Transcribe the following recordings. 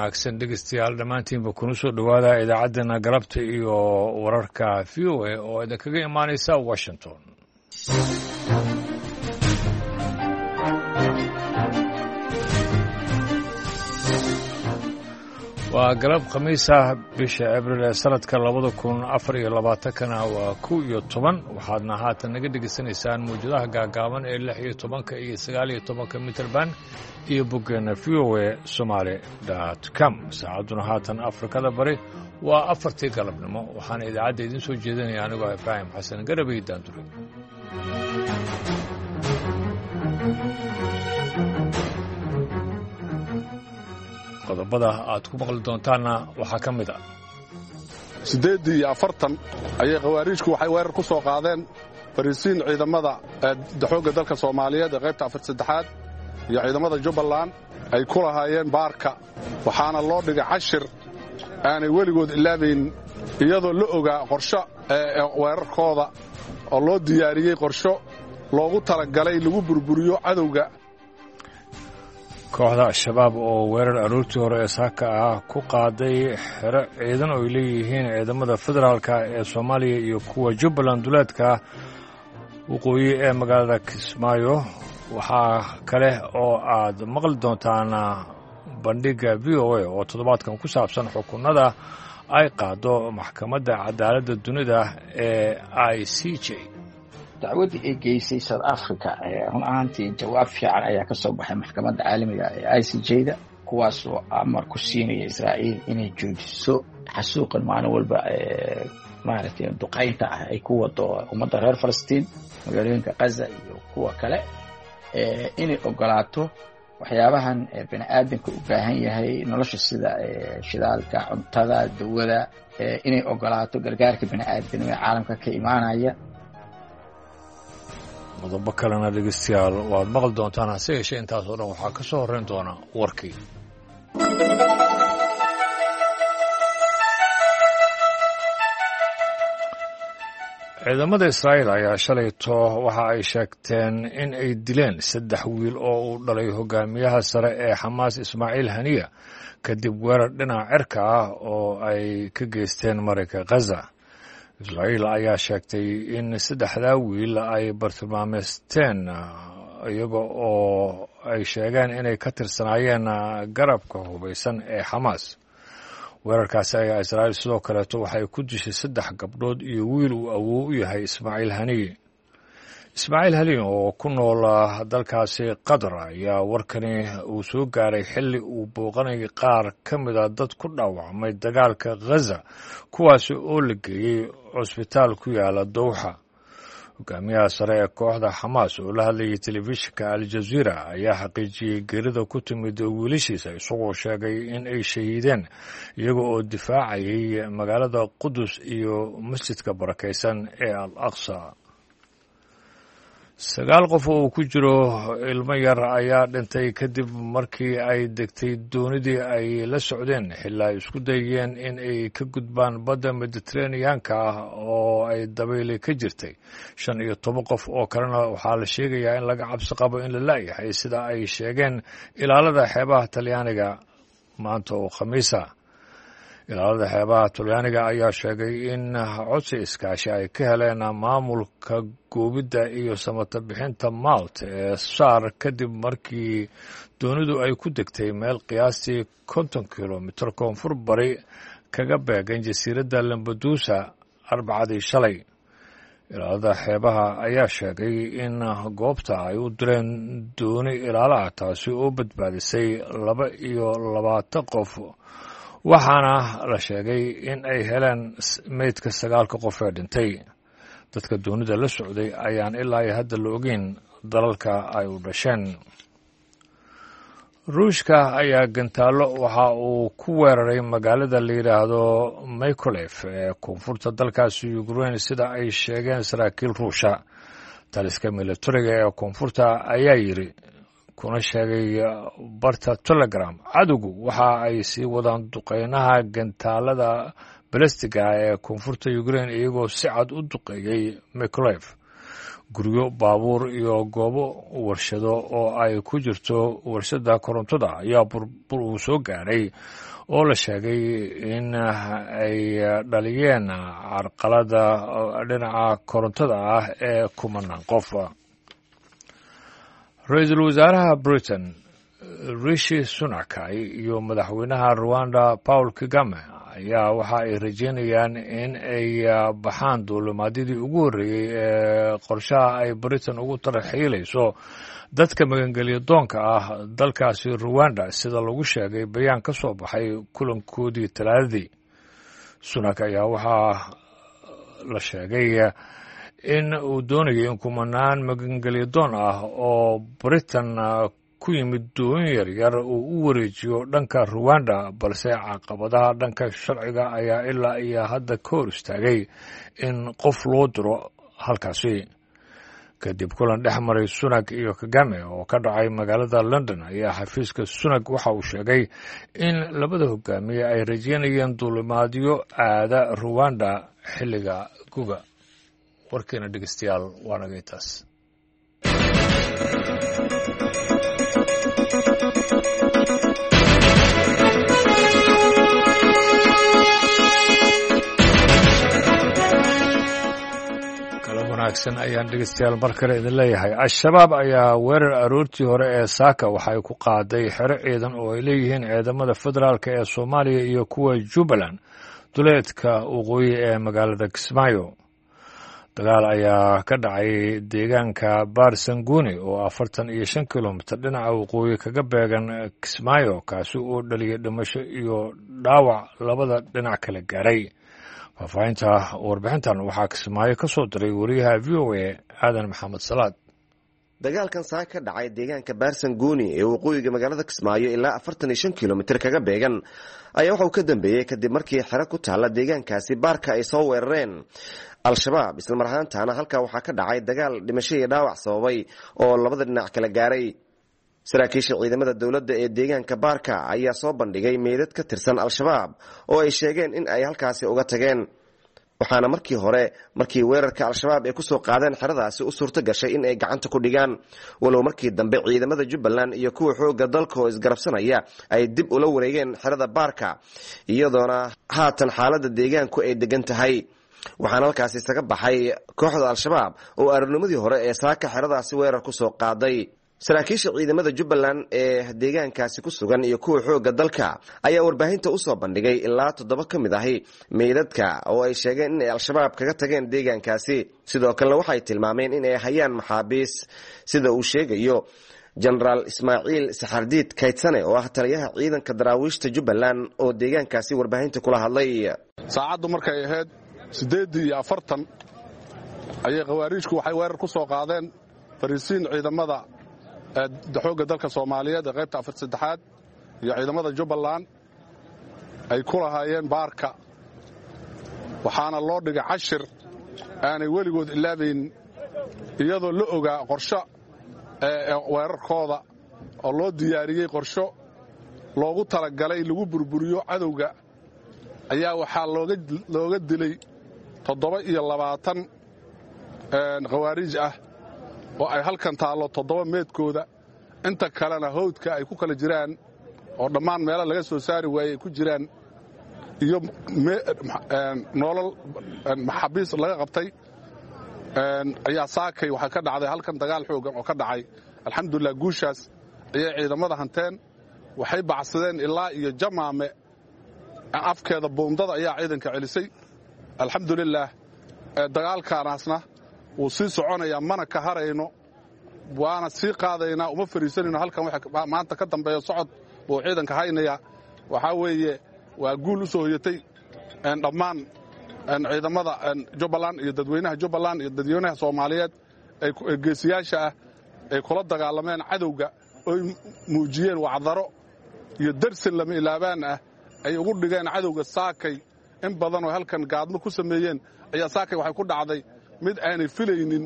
Wanaagsan dhegeystayaal dhammaantiinba kuna soo dhowaada idaacaddeenna galabta iyo wararka VOA oo idinkaga imaanaysa Washington. Waa galab khamiis ah, bisha Abril ee sanadka 2024-kana waa 11. Waxaadna haatan naga dhegaysanaysaan mawjadaha gaagaaban ee 16-ka iyo 19-ka mitrband iyo boggeenna voasomali.com. Saacadduna haatan Afrikada Bari waa 4-tii galabnimo. Waxaana idaacadda idiin soo jeedinaya anigoo Ibraahim Xasan Garabay Daandure. Qodobada aad ku maqli doontaanna waxaa ka mid ah: 48 ayay khawaariijku waxay weerar ku soo qaadeen fariisiin ciidamada xoogga dalka Soomaaliyeed ee qaybta afar saddexaad iyo ciidamada Jubbaland ay ku lahaayeen baarka. Waxaana loo dhigay cashir aanay weligood ilaabayn, iyadoo la ogaa qorsho weerarkooda oo loo diyaariyey, qorsho loogu talagalay lagu burburiyo cadowga. Kooxda Al-Shabaab oo weerar aroortii hore ee saaka ah ku qaaday xero ciidan oo ay leeyihiin ciidamada federaalka ee Soomaaliya iyo kuwa Jubbaland duleedka waqooyi ee magaalada Kismaayo. Waxaa kale oo aad maqli doontaan bandhigga VOA oo toddobaadkan ku saabsan xukunada ay qaado Maxkamadda Cadaaladda Dunida ee ICJ. Dacwaddii ay geysay South Africa, run ahaantii jawaab fiican ayaa ka soo baxay maxkamadda caalamiga ee ICJ-da, kuwaasoo amar ku siinaya Israa'iil inay joojiso xasuuqan maalin walba maaragtay duqaynta ah ay ku wado ummadda reer Falastiin, magaalooyinka Gaza iyo kuwa kale, inay ogolaato waxyaabahan bini aadamka u baahan yahay nolosha, sida shidaalka, cuntada, dawada, inay ogolaato gargaarka bini aadamnimo ee caalamka ka imaanaya. Qodobo kalena dhegeystayaal waad maqli doontaan, hase yeeshee intaas oo dhan waxaa ka soo horrayn doona warkii. Ciidamada Israa'iil ayaa shalayto waxa ay sheegteen in ay dileen saddex wiil oo uu dhalay hogaamiyaha sare ee Xamaas Ismaaciil Haniya, kadib weerar dhinaca cirka ah oo ay ka geysteen marinka Khaza. Israa'iil ayaa sheegtay in saddexdaa wiil ay bartilmaameysteen, iyaga oo ay sheegeen inay ka tirsanaayeen garabka hubaysan ee Xamaas. Weerarkaasi ayaa Israa'iil sidoo kaleeto waxay ku dishay saddex gabdhood iyo wiil uu awoow u yahay Ismaaciil Haniye. Ismaaciil Haniye oo ku nool dalkaasi Qatar ayaa warkani uu soo gaaray xilli uu booqanayay qaar ka mida dad ku dhaawacmay dagaalka Khaza, kuwaasi oo la geeyey cusbitaal ku yaala Dowxa. Hogaamiyaha sare ee kooxda Xamaas oo la hadlayay telefishinka Al-Jaziira ayaa xaqiijiyey geerida ku timid wiilashiisa, isagoo sheegay in ay shahiideen iyaga oo difaacayay magaalada Qudus iyo masjidka barakaysan ee Al Aqsa. Sagaal qof oo uu ku jiro ilmo yar ayaa dhintay kadib markii ay degtay doonidii ay la socdeen xilaa ay isku dayeen in ay ka gudbaan badda Mediteraneanka ah oo ay dabayli ka jirtay. 15 qof oo kalena waxaa la sheegayaa in laga cabsi qabo in la la'yahay, sida ay sheegeen ilaalada xeebaha Talyaaniga maanta oo Khamiisa. Ilaalada xeebaha Talyaaniga ayaa sheegay in codsi iskaashi ay ka heleen maamulka goobidda iyo samata bixinta Malt ee SAR, kadib markii doonidu ay ku degtay meel qiyaastii 50 kilomitir koonfur bari kaga beegan jasiiradda Lambadusa Arbacadii shalay. Ilaalada xeebaha ayaa sheegay in goobta ay u direen dooni ilaala ah, taasi oo badbaadisay 22 qof, waxaana la sheegay in ay heleen meydka sagaalka qof ee dhintay. Dadka doonida la socday ayaan ilaa iyo hadda la ogeyn dalalka ay u dhasheen. Ruushka ayaa gantaallo waxa uu ku weeraray magaalada la yidhaahdo Mikolef ee koonfurta dalkaasi Ukraine, sida ay sheegeen saraakiil Ruusha. Taliska militariga ee koonfurta ayaa yidhi kuna sheegay barta Telegram: "Cadowgu waxa ay sii wadaan duqeynaha gantaalada balastiga ee koonfurta Ukraine, iyagoo si cad u duqeeyey Mikolef." Guryo, baabuur iyo goobo warshado oo ay ku jirto warshada korontada ayaa burbur uu soo gaaray oo la sheegay in ay dhaliyeen carqalada dhinaca korontada ah ee kumanaan qof. Ra-iisul wasaaraha Britain Rishi Sunak iyo madaxweynaha Rwanda Paul Kagame ayaa waxa ay rajeynayaan in ay baxaan duulimaadyadii ugu horreeyey ee qorshaha ay Britain ugu tarxiilayso dadka magangelya doonka ah dalkaasi Rwanda, sida lagu sheegay bayaan ka soo baxay kulankoodii Talaadadii. Sunak ayaa waxaa la sheegay in uu doonayo in kumanaan magangelya doon ah oo Britain ku yimid doon yaryar uu u wareejiyo dhanka Ruwanda, balse caqabadaha dhanka sharciga ayaa ilaa iyo hadda ka hor istaagay in qof loo diro halkaasi. Kadib kulan dhex maray Sunak iyo Kagame oo ka dhacay magaalada London ayaa xafiiska Sunak waxa uu sheegay in labada hogaamiye ay rajeynayeen duulimaadyo aada Ruwanda xilliga guga. Warkeena dhegeystayaal waa naga intaas. Wanaagsan ayaan dhegeystayaal mar kale idin leeyahay. Al-Shabaab ayaa weerar aroortii hore ee Saaka waxay ku qaaday xero ciidan oo ay leeyihiin ciidamada federaalk ee Soomaaliya iyo kuwa Jubbaland duleedka waqooyi ee magaalada Kismaayo. Dagaal ayaa ka dhacay deegaanka Barsanguni oo 45 kilomitir dhinaca waqooyi kaga beegan Kismaayo, kaasi oo dhaliyay dhimasho iyo dhaawac labada dhinac kala gaaray. Faahfaahinta warbixintan waxaa Kismaayo ka soo diray wariyaha VOA Aadan Maxamed Salaad. Dagaalkan saa ka dhacay deegaanka Baarsanguuni ee waqooyiga magaalada Kismaayo ilaa 45 kilomitir kaga beegan ayaa waxauu ka dambeeyey kadib markii xero ku taalla deegaankaasi baarka ay soo weerareen Al-Shabaab, islamar ahaantaana halkaa waxaa ka dhacay dagaal dhimasho iyo dhaawac sababay oo labada dhinac kala gaaray. Saraakiisha ciidamada dowladda ee deegaanka baarka ayaa soo bandhigay meydad ka tirsan Al-Shabaab oo ay sheegeen in ay halkaasi uga tageen, waxaana markii hore markii weerarka Al-Shabaab ay kusoo qaadeen xeradaasi u suurto gashay in ay gacanta ku dhigaan, walow markii dambe ciidamada Jubbaland iyo kuwa xoogga dalka oo isgarabsanaya ay dib ula wareegeen xerada baarka, iyadoona haatan xaaladda deegaanku ay degan tahay. Waxaana halkaasi isaga baxay kooxda Al-Shabaab oo aroornimadii hore ee saaka xeradaasi weerar kusoo qaaday. Saraakiisha ciidamada Jubbaland ee deegaankaasi ku sugan iyo kuwa xoogga dalka ayaa warbaahinta usoo bandhigay ilaa 7 ka mid ahi meydadka oo ay sheegeen inay Al-Shabaab kaga tageen deegaankaasi. Sidoo kalena waxay tilmaameen inay hayaan maxaabiis, sida uu sheegayo Jenaraal Ismaaciil Saxardiid Kaydsane oo ah taliyaha ciidanka daraawiishta Jubbaland oo deegaankaasi warbaahinta kula hadlay. Saacaddu markay ahayd 8:40 ayay khawaariijku waxay weerar ku soo qaadeen fariisiin ciidamada xoogga dalka Soomaaliyeed ee qaybta 43aad iyo ciidamada Jubbaland ay ku lahaayeen baarka. Waxaana loo dhigay cashir aanay weligood ilaabayn, iyadoo la ogaa qorsho weerarkooda oo loo diyaariyey, qorsho loogu talagalay lagu burburiyo cadowga ayaa waxaa looga dilay 27 khawaariij ah oo ay halkan taallo 7 meedkooda, inta kalena hawdka ay ku kala jiraan oo dhammaan meelo laga soo saari waayey ay ku jiraan, iyo nolol maxaabiis laga qabtay. Ayaa saakay waxaa ka dhacday halkan dagaal xooggan oo ka dhacay. Alxamdulilah, guushaas ayay ciidamada hanteen. Waxay bacsadeen ilaa iyo Jamaame afkeeda, buundada ayaa ciidanka celisay. Alxamdulilaah, dagaalkaanaasna wuu sii soconayaa, mana ka harayno, waana sii qaadaynaa, uma fariisanayno halkan. Waxa maanta ka dambeeya socod buu ciidanka haynayaa. Waxaa weeye waa guul u soo hoyatay dhammaan ciidamada Jubbaland iyo dadweynaha Jubbaland iyo dadweynaha Soomaaliyeed ee geesiyaasha ah ay kula dagaalameen cadowga, oy muujiyeen wacdaro iyo darsin lama ilaabaan ah ay ugu dhigeen cadowga. Saakay in badan oo halkan gaadmo ku sameeyeen ayaa saakay waxay ku dhacday mid aanay filaynin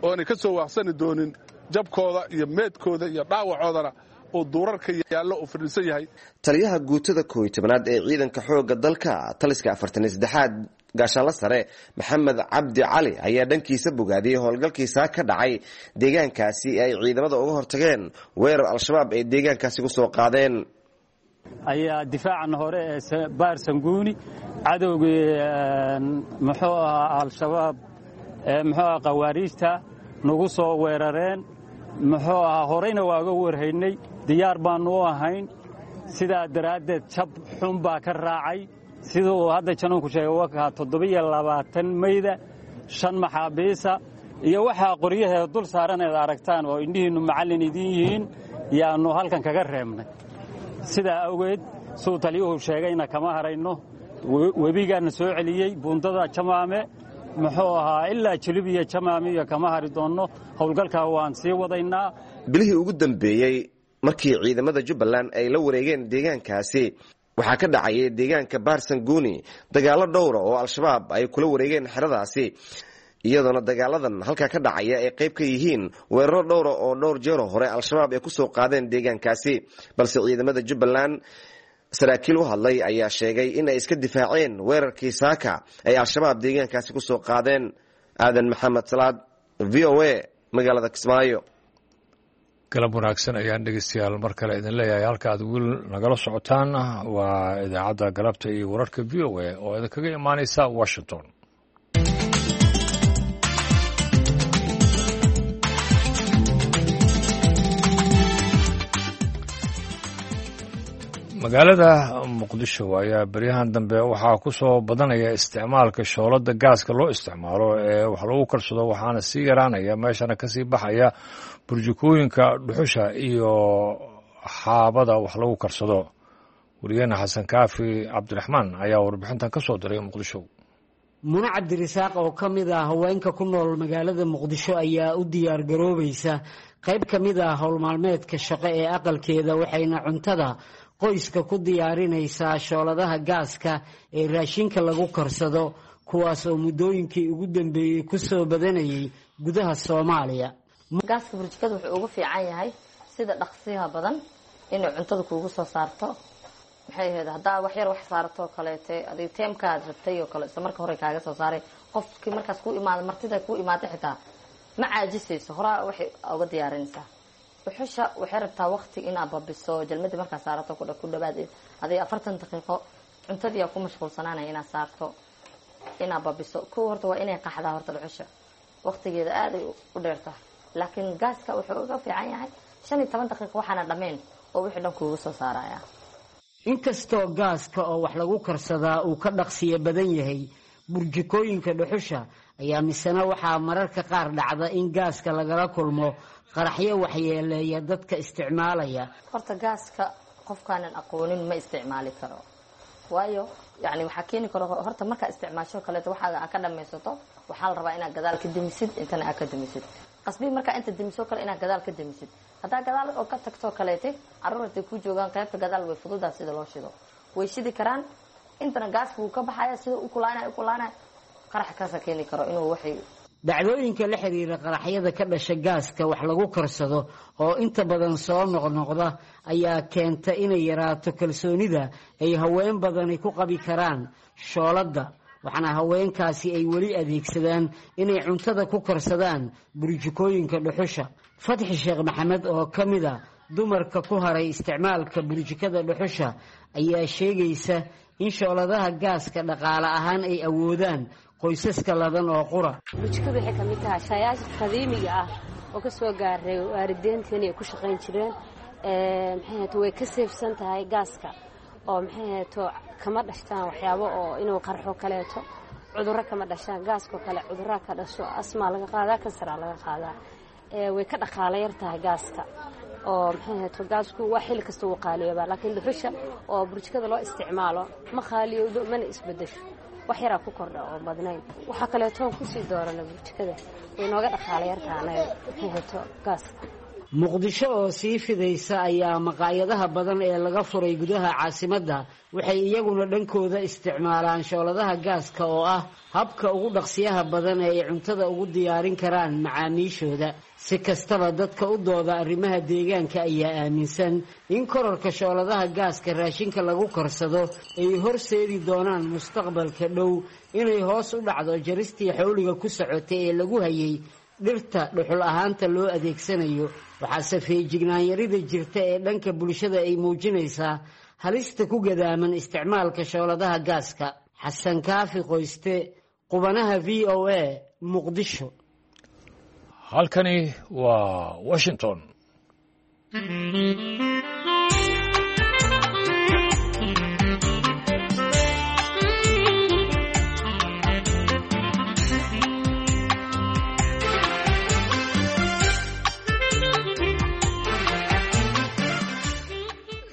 ooanay ka soo waaqsani doonin, jabkooda iyo meedkooda iyo dhaawacoodana oo duurarka yaallo oo fadhiisan yahay. Taliyaha guutada 11aad ee ciidanka xoogga dalka taliska 43aad gaashaanla sare Maxamed Cabdi Cali ayaa dhankiisa bogaadiyey howlgalkiisaa ka dhacay deegaankaasi ay ciidamada uga hortageen weerar Al-Shabaab ay deegaankaasi ku soo qaadeen. Ayaa difaacan hore ee Baar Sanguuni cadowgii muxuu ahaa Al-Shabaab ee muxuu ahaa khawaariijta nagu soo weerareen, muxuu ahaa horeyna waa uga warhaynay, diyaar baannu u ahayn. Sidaa daraaddeed jab xun baa ka raacay. Sida uu hadda januunku sheegay wakaa 27 mayda, 5 maxaabiisa iyo waxaa qoryaheeda dul saaran eed aragtaan oo indhihiinnu macallin idiin yihiin yaannu halkan kaga reebnay. Sidaa awgeed suu taliyuhu sheegayna kama harayno. Webigaana soo celiyey buundada Jamaame, muxuu ahaa ilaa Jilib iyo Jamaame iyo kama hari doonno. Howlgalkaa waan sii wadaynaa. Bilihii ugu dambeeyey markii ciidamada Jubbaland ay la wareegeen deegaankaasi waxaa ka dhacayay deegaanka Baarsanguuni dagaallo dhowra oo Al-Shabaab ay kula wareegeen xeradaasi, iyadoona dagaaladan halkaa ka dhacaya ay qayb ka yihiin weeraro dhowra oo dhowr jeero hore Al-Shabaab ay kusoo qaadeen deegaankaasi. Balse ciidamada Jubbaland saraakiil u hadlay ayaa sheegay in ay iska difaaceen weerarkii saaka ay Al-Shabaab deegaankaasi kusoo qaadeen. Aadan Maxamed Salaad, V O A, magaalada Kismaayo. Galab wanaagsan ayaan dhegeystayaal mar kale idin leeyahay. Halka aad weli nagala socotaan waa idaacadda galabta iyo wararka V O A oo idinkaga imaaneysa Washington. Magaalada Muqdisho ayaa beryahan dambe waxaa ku soo badanaya isticmaalka shoolada gaaska loo isticmaalo ee wax lagu karsado, waxaana sii yaraanaya meeshana kasii baxaya burjukooyinka dhuxusha iyo xaabada wax lagu karsado. Wariyaheena Xasan Kaafi Cabdiraxmaan ayaa warbixintan ka soo diray Muqdisho. Mune Cabdirisaaq oo ka mid ah haweenka ku nool magaalada Muqdisho ayaa u diyaar garoobaysa qayb ka mid ah howlmaalmeedka shaqo ee aqalkeeda, waxayna cuntada qoyska ku diyaarinaysaa shooladaha gaaska ee raashinka lagu karsado, kuwaas oo muddooyinkii ugu dambeeyey ku soo badanayay gudaha Soomaaliya. Gaaska burjikada wuxuu ugu fiican yahay sida dhaqsiyaha badan inay cuntada kuugu soo saarto. Maxay ahayd haddaa wax yar wax saaratoo kaleete adig teemkaad rabtay oo kale isla marka hore kaaga soo saaray. Qofkii markaas kuu imaada, martida kuu imaada xitaa ma caajisayso, horaa waxay uga diyaarinaysaa. Dhuxusha waxay rabtaa waqti inaad babiso jalmadii markaa saarato ku dhawaad adig 40 daqiiqo cuntadii ku mashquulsanaanaya inaad saarto inaad babiso. Kow horta waa inay qaxdaa horta dhuxusha waqtigeeda aaday u dheertahay, laakiin gaaska wuxuu uga fiican yahay 15 daqiiqo waxaana dhammayn oo wixii dhan kuugu soo saaraya. Inkastoo gaaska oo wax lagu karsadaa uu ka dhaqsiyo badan yahay burjikooyinka dhuxusha, ayaa misena waxaa mararka qaar dhacda in gaaska lagala kulmo qaraxyo waxyeeleeya dadka isticmaalaya. Horta gaaska qofkaanan aqoonin ma isticmaali karo, waayo yani waxaa keeni karo horta markaa isticmaasho kaleeto waxaaga aad ka dhamaysato waxaa la rabaa inaad gadaal ka demisid, intana aad ka demisid qasbii markaa inta demiso kale inaad gadaal ka demisid. Haddaa gadaal oo ka tagtoo kaleete carruur hadday ku joogaan qaybta gadaal way fududaa sida loo shido, way shidi karaan. Intana gaaska wuu ka baxaya sida u kulaanay qarax kaasa keeni karo inuu waxay. Dhacdooyinka la xiriira qaraxyada ka dhasha gaaska wax lagu karsado oo inta badan soo noqnoqda ayaa keenta inay yaraato kalsoonida ay haween badani ku qabi karaan shooladda, waxaana haweenkaasi ay weli adeegsadaan inay cuntada ku karsadaan burjikooyinka dhuxusha. Fatxi Sheekh Maxamed oo ka mid a dumarka ku haray isticmaalka burjikada dhuxusha ayaa sheegaysa in shooladaha gaaska dhaqaale ahaan ay awoodaan qoysaska ladan oo qura. Burjikadu waxay ka mid tahay shaayaasha qadiimiga ah oo ka soo gaaray waalideynteena ay ku shaqayn jireen. Maxay way ka seefsan tahay gaaska oo maxay kama dhashtaan waxyaabo oo inuu qarxo kaleeto, cudurro kama dhashaan. Gaaskoo kale cudurraa ka dhasho, asmaa laga qaadaa, kansaraa laga qaadaa. Way ka dhaqaala yar tahay gaaska oo maxay gaasku waa xilli kasta wuu qaaliyoobaa, laakiin dhuxusha oo burjikada loo isticmaalo ma qaaliyowdo mana isbedesho, wax yaraa ku kordha oo badnayn. Waxaa kaleetoon kusii doorana burjikada way nooga dhaqaala yartahay anaga maxay gaaska. Muqdisho oo sii fidaysa ayaa maqaayadaha badan ee laga furay gudaha caasimadda waxay iyaguna dhankooda isticmaalaan shooladaha gaaska oo ah habka ugu dhaqsiyaha badan ee ay cuntada ugu diyaarin karaan macaamiishooda. Si kastaba, dadka u dooda arrimaha deegaanka ayaa aaminsan in kororka shooladaha gaaska raashinka lagu karsado ay horseedi doonaan mustaqbalka dhow inay hoos u dhacdo jaristii xawliga ku socotay ee lagu hayay dhirta dhuxul ahaanta loo adeegsanayo. Waxaase feejignaan-yarida jirta ee dhanka bulshada ay muujinaysaa halista ku gadaaman isticmaalka shooladaha gaaska. Xasan Kaafi Qoyste, qubanaha VOA, Muqdisho. Halkani waa Washington.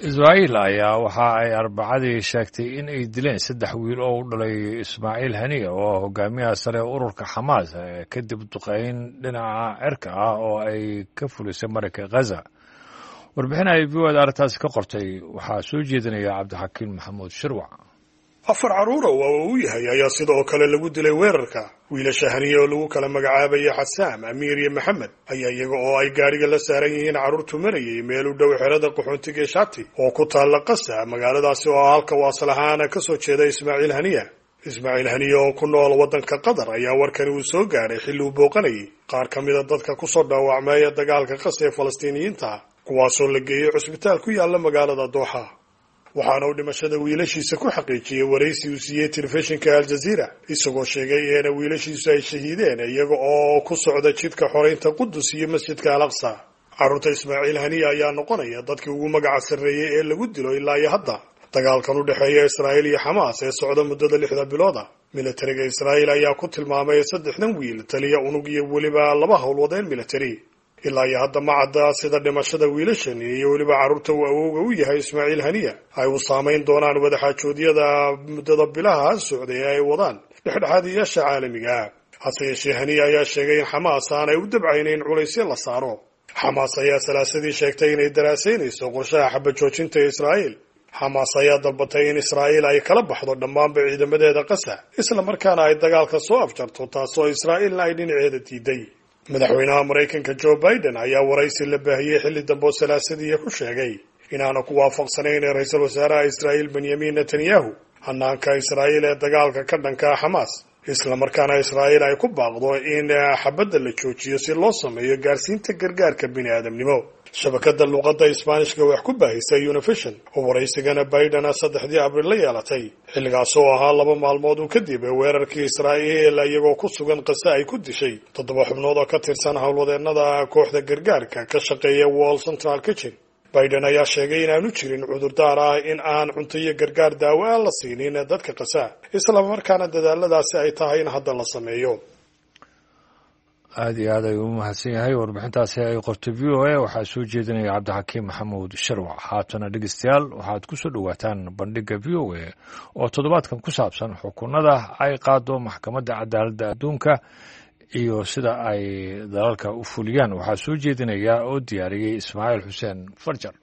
Israa'iil ayaa waxa ay Arbacadii sheegtay in ay dileen saddex wiil oo u dhalay Ismaaciil Haniya, oo ah hogaamiyaha sare ee ururka Xamaas, kadib duqeyn dhinaca cirka ah oo ay ka fulisay marinka Ghaza. Warbixin ay VOA da arrintaasi ka qortay waxaa soo jeedinaya Cabdixakiin Maxamuud Shirwac. Afar carruura oo uu yahay ayaa sidoo kale lagu dilay weerarka. Wiilasha Haniye oo lagu kala magacaabaya Xasaam, Amiir iyo Maxamed ayaa iyaga oo ay gaadhiga la saaran yihiin carruurtu marayay meel u dhow xerada qaxoontiga ee Shati oo ku taalla Qasa, magaaladaasi oo halka uu asal ahaana ka soo jeeda Ismaaciil Haniya. Ismaaciil Haniye oo ku nool waddanka Qatar ayaa warkani uu soo gaadhay xilli uu booqanayay qaar ka mida dadka kusoo dhaawacmaya dagaalka Qasa ee Falastiiniyiinta, kuwaasoo la geeyey cusbitaal ku yaalla magaalada Dooxa. Waxaana uu dhimashada wiilashiisa ku xaqiijiyey waraysi uu siiyey telefishinka Aljaziira, isagoo sheegay eena wiilashiisu ay shahiideen iyaga oo ku socda jidka xoreynta Qudus iyo masjidka Al Aqsa. Carruurta Ismaaciil Haniya ayaa noqonaya dadkii ugu magaca sarreeyey ee lagu dilo ilaa iyo hadda dagaalkan u dhexeeya Israa'iil iyo Xamaas ee socda muddada 6da bilooda. Militariga Israa'iil ayaa ku tilmaamay saddexdan wiil taliya unug iyo weliba laba howlwadeen militari. Ilaa iyo hadda ma cadda sida dhimashada wiilashan iyo weliba carruurta uu awowga u yahay Ismaaciil Haniya ay u saamayn doonaan wadaxaajoodyada muddada bilaha socday ee ay wadaan dhexdhexaadiyaasha caalamiga ah. Hase yeeshee, Haniya ayaa sheegay in Xamaas aanay u dabcaynayn culaysyo la saaro. Xamaas ayaa Salaasadii sheegtay inay daraasaynayso qorshaha xabajoojinta Israa'iil. Xamaas ayaa dalbatay in Israa'iil ay kala baxdo dhammaanba ciidamadeeda Qasa, isla markaana ay dagaalka soo afjarto, taasoo Israa'iilna ay dhinaceeda diiday. Madaxweynaha Maraykanka Joe Biden ayaa waraysi la baahiyey xilli dambe oo Salaasadiiya ku sheegay inaanu ku waafaqsanayn ee ra-iisul wasaaraha Israa'iil Benyamin Netanyahu hanaanka Israa'iil ee dagaalka ka dhanka Xamaas, isla markaana Israa'iil ay ku baaqdo in xabadda la joojiyo si loo sameeyo gaarsiinta gargaarka bini aadamnimo. Shabakada luuqadda Isbaanishka wax ku baahisa Univision oo waraysigana Biden 3dii Abriil la yeelatay, xilligaas oo ahaa 2 maalmood uu kadib weerarkii Israa'iil iyagoo ku sugan Qase ay ku dishay 7 xubnood oo ka tirsan howlwadeennada kooxda gargaarka ka shaqeeya World Central Kitchen. Biden ayaa sheegay inaanu jirin cudurdaar ah in aan cunto iyo gargaar daawo aan la siinin dadka Qasa, isla markaana dadaaladaasi ay tahay in hadda la sameeyo. Aada iyo aad ayuu u mahadsan yahay. Warbixintaasi ay qortay VOA waxaa soo jeedinaya Cabdixakiim Maxamuud Sharwac. Haatana dhegeystayaal, waxaad ku soo dhowaataan bandhigga VOA oo toddobaadkan ku saabsan xukunada ay qaado Maxkamadda Cadaaladda Adduunka iyo sida ay dalalka u fuliyaan. Waxaa soo jeedinaya oo diyaariyey Ismaaciil Xuseen Farjar.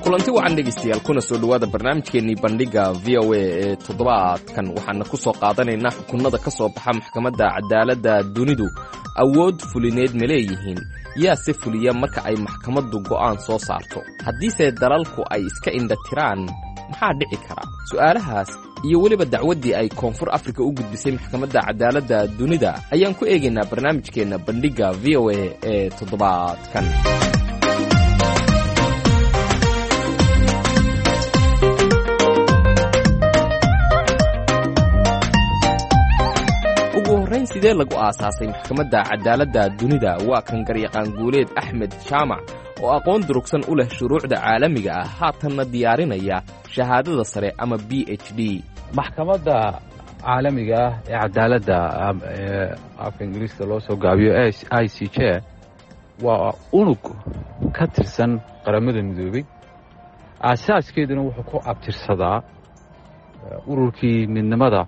Kulanti wacan dhegaystayaal, kuna soo dhowaada barnaamijkeennii bandhigga VOA ee toddobaadkan. Waxaana ku soo qaadanaynaa xukunnada ka soo baxa Maxkamadda Cadaaladda Dunidu awood fulineed ma leeyihiin? Yaa se fuliya marka ay maxkamaddu go'aan soo saarto? Haddiise dalalku ay iska indha tiraan, maxaa dhici kara? Su'aalahaas iyo weliba dacwaddii ay Koonfur Afrika u gudbisay Maxkamadda Cadaaladda Dunida ayaan ku eegaynaa barnaamijkeenna bandhigga VOA ee toddobaadkan. Ugu horrayn, sidee lagu aasaasay Maxkamadda Cadaaladda Dunida? Waa kan garyaqaan Guuleed Axmed Jaamac oo aqoon durugsan u leh shuruucda caalamiga ah, haatanna diyaarinaya shahaadada sare ama PhD. Maxkamadda Caalamiga ah ee Cadaaladda, ee afka Ingiriiska loo soo gaabiyo ICJ, waa unug ka tirsan Qaramada Midoobey. Aasaaskeeduna wuxuu ku abtirsadaa Ururkii midnimada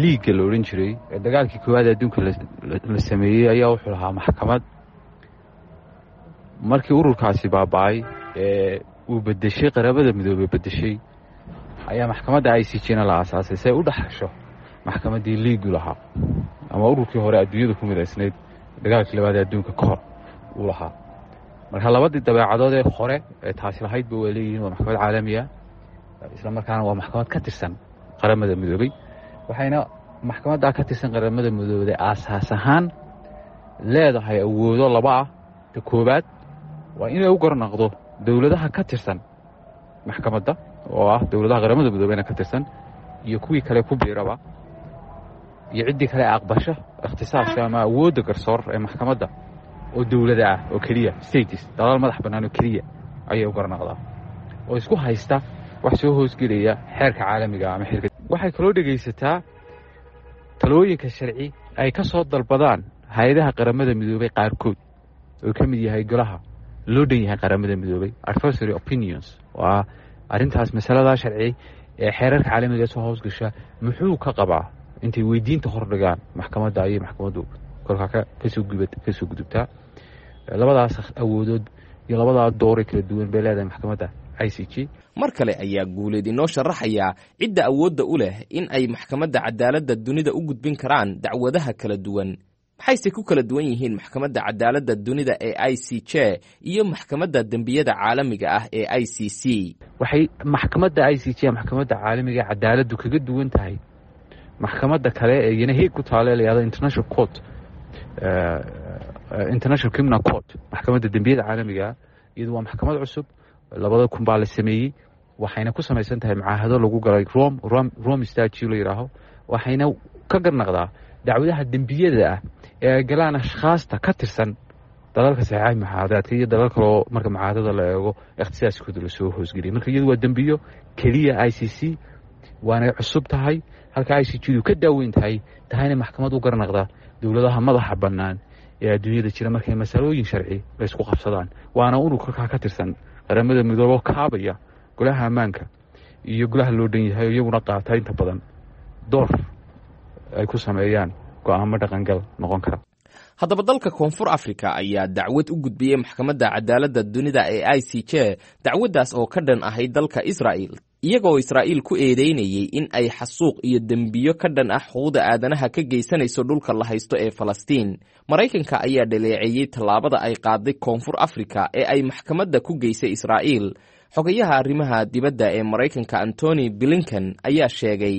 liigga la odhan jiray ee dagaalkii koowaad adduunka la sameeyey ayaa wuxuu lahaa maxkamad. Markii ururkaasi baaba'ay ee uu bedeshay Qaramada Midoobey bedeshay, ayaa maxkamadda ICJ na la aasaasay si ay u dhexasho maxkamaddii liigu lahaa ama ururkii hore adduunyada ku midaysnayd dagaalkii labaad ee adduunka ka hor uu lahaa. Marka labadii dabeecadood ee hore ee taasi lahaydba waa leeyihiin. Waa maxkamad caalamiya, isla markaana waa maxkamad ka tirsan Qaramada Midoobey. Waxayna maxkamaddaa ka tirsan Qaramada Midoobey aasaas ahaan leedahay awoodo laba ah. Ta koowaad waa inay u garnaqdo dowladaha ka tirsan maxkamadda, oo ah dowladaha Qaramada Midoobeyna ka tirsan iyo kuwii kale ku biiraba iyo ciddii kale aqbasho ikhtisaaska ama awoodda garsoor ee maxkamadda oo dowlada ah oo keliya, states, dalal madax bannaan oo keliya ayay u garnaqdaa oo isku haysta wax soo hoosgelaya xeerka caalamiga ama xeerka. Waxay kaloo dhegaysataa talooyinka sharci ay ka soo dalbadaan hay-adaha Qaramada Midoobey qaarkood, oo ka mid yahay golaha loo dhan yahay Qaramada Midoobey, advisory opinions, oo ah arrintaas masaladaa sharci ee xeerarka caalamiga soo hoosgasha muxuu ka qabaa. Intay weydiinta hordhigaan maxkamadda ayay maxkamaddu kolkaa kasoo gudubtaa. Labadaas awoodood iyo labadaa dooray kala duwan bay leedahay maxkamadda ICJ. Mar kale ayaa Guuleed inoo sharaxayaa cidda awoodda u leh in ay Maxkamadda Cadaaladda Dunida u gudbin karaan dacwadaha kala duwan. Maxayse ku kala duwan yihiin Maxkamadda Cadaaladda Dunida ee ICJ iyo Maxkamadda Dembiyada Caalamiga ah ee ICC? Waxay maxkamadda ICJ, maxkamadda caalamiga cadaaladdu, kaga duwan tahay maxkamadda kale ee iyana Hague ku taale la yihahdo International Court, International Criminal Court, maxkamadda dembiyada caalamiga. Iyadu waa maxkamad cusub, 2000 baa la sameeyey. Waxayna ku samaysan tahay mucaahado lagu galay Rome Statute la yidhaaho. Waxayna ka garnaqdaa dacwadaha dembiyada ah ee ay galaan ashkhaasta ka tirsan dalalka saxiixaha mucaahadaadka iyo dalal kaloo marka mucaahadada la eego ikhtisaaskooda lasoo hoosgeliyay. Marka iyadu waa dembiyo keliya ICC, waanay cusub tahay, halka ICJ du ka daaweyn tahay, tahayna maxkamad u garnaqda dowladaha madaxa bannaan ee adduunyada jira markay masalooyin sharci la isku qabsadaan. Waana unug kolkaa ka tirsan Qaramada Midoobo, kaabaya golaha ammaanka iyo golaha loo dhan yahay, oo iyaguna qaata inta badan door ay ku sameeyaan go'aamo dhaqangal noqon kara. Haddaba, dalka Koonfur Africa ayaa dacwad u gudbiyey Maxkamadda Cadaaladda Dunida ee ICJ, dacwaddaas oo ka dhan ahayd dalka Israa'il, iyagoo Israa'iil ku eedeynayey in ay xasuuq iyo dembiyo ka dhan ah xuquuqda aadanaha ka geysanayso dhulka la haysto ee Falastiin. Maraykanka ayaa dhaleeceeyey tallaabada ay qaaday Koonfur Africa ee ay maxkamadda ku geysay Israa'iil. Xogayaha arrimaha dibadda ee Maraykanka Antony Blinken ayaa sheegay: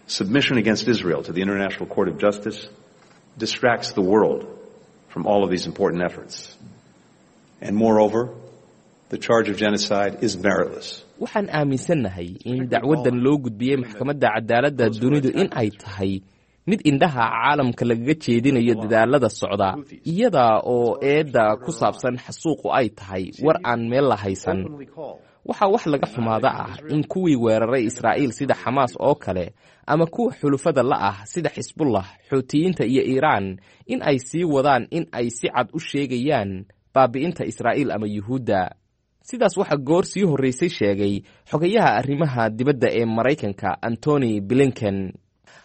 Submission against Israel to the International Court of Justice distracts the world from all of these important efforts. And moreover, the charge of genocide is meritless. Waxaan aaminsannahay in dacwaddan loo gudbiyey Maxkamadda Cadaaladda Dunidu in ay tahay mid indhaha caalamka lagaga jeedinayo dadaalada socda, iyada oo eedda ku saabsan xasuuqu ay tahay war aan meel la haysan. Waxaa wax laga xumaada ah in kuwii weeraray Israa'iil sida Xamaas oo kale ama kuwa xulufada la ah sida Xisbullah, Xuutiyiinta iyo Iiraan in ay sii wadaan in ay si cad u sheegayaan baabi'inta Israa'iil ama Yuhuudda. Sidaas waxaa goor sii horraysay sheegay xogayaha arrimaha dibadda ee Maraykanka Antony Blinken.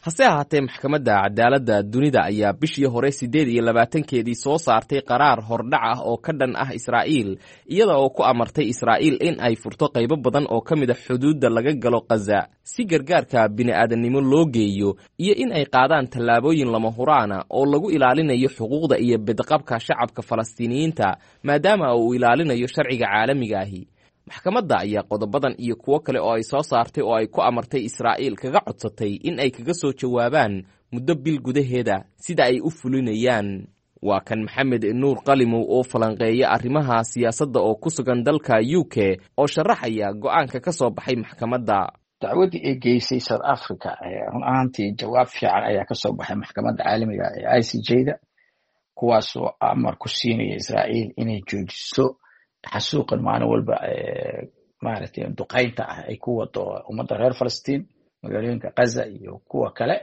Hase ahaatee, Maxkamadda Cadaaladda Dunida ayaa bishii hore 28-keedii soo saartay qaraar hordhac ah oo ka dhan ah Israa'iil, iyada oo ku amartay Israa'iil in ay furto qaybo badan oo ka mid a xuduudda laga galo Khaza si gargaarka bini'aadannimo loo geeyo, iyo in ay qaadaan tallaabooyin lama huraana oo lagu ilaalinayo xuquuqda iyo bedqabka shacabka Falastiiniyiinta, maadaama uu ilaalinayo sharciga caalamiga ahi. Maxkamadda ayaa qodobadan iyo kuwo kale oo ay soo saartay oo ay ku amartay Israa'iil kaga codsatay in ay kaga soo jawaabaan muddo bil gudaheeda sida ay u fulinayaan. Waa kan Maxamed Nuur Qalimow oo falanqeeya arrimaha siyaasadda oo ku sugan dalka UK oo sharaxaya go'aanka ka soo baxay maxkamadda. Dacwaddii ay geysay South Africa, run ahaantii jawaab fiican ayaa kasoo baxay maxkamadda caalamiga ee ICJ da, kuwaasoo amar ku siinaya Israa'iil inay joojiso xasuuqan maalin walba maaragtay duqaynta ah ay ku wado ummadda reer Falastiin, magaalooyinka Gaza iyo kuwa kale,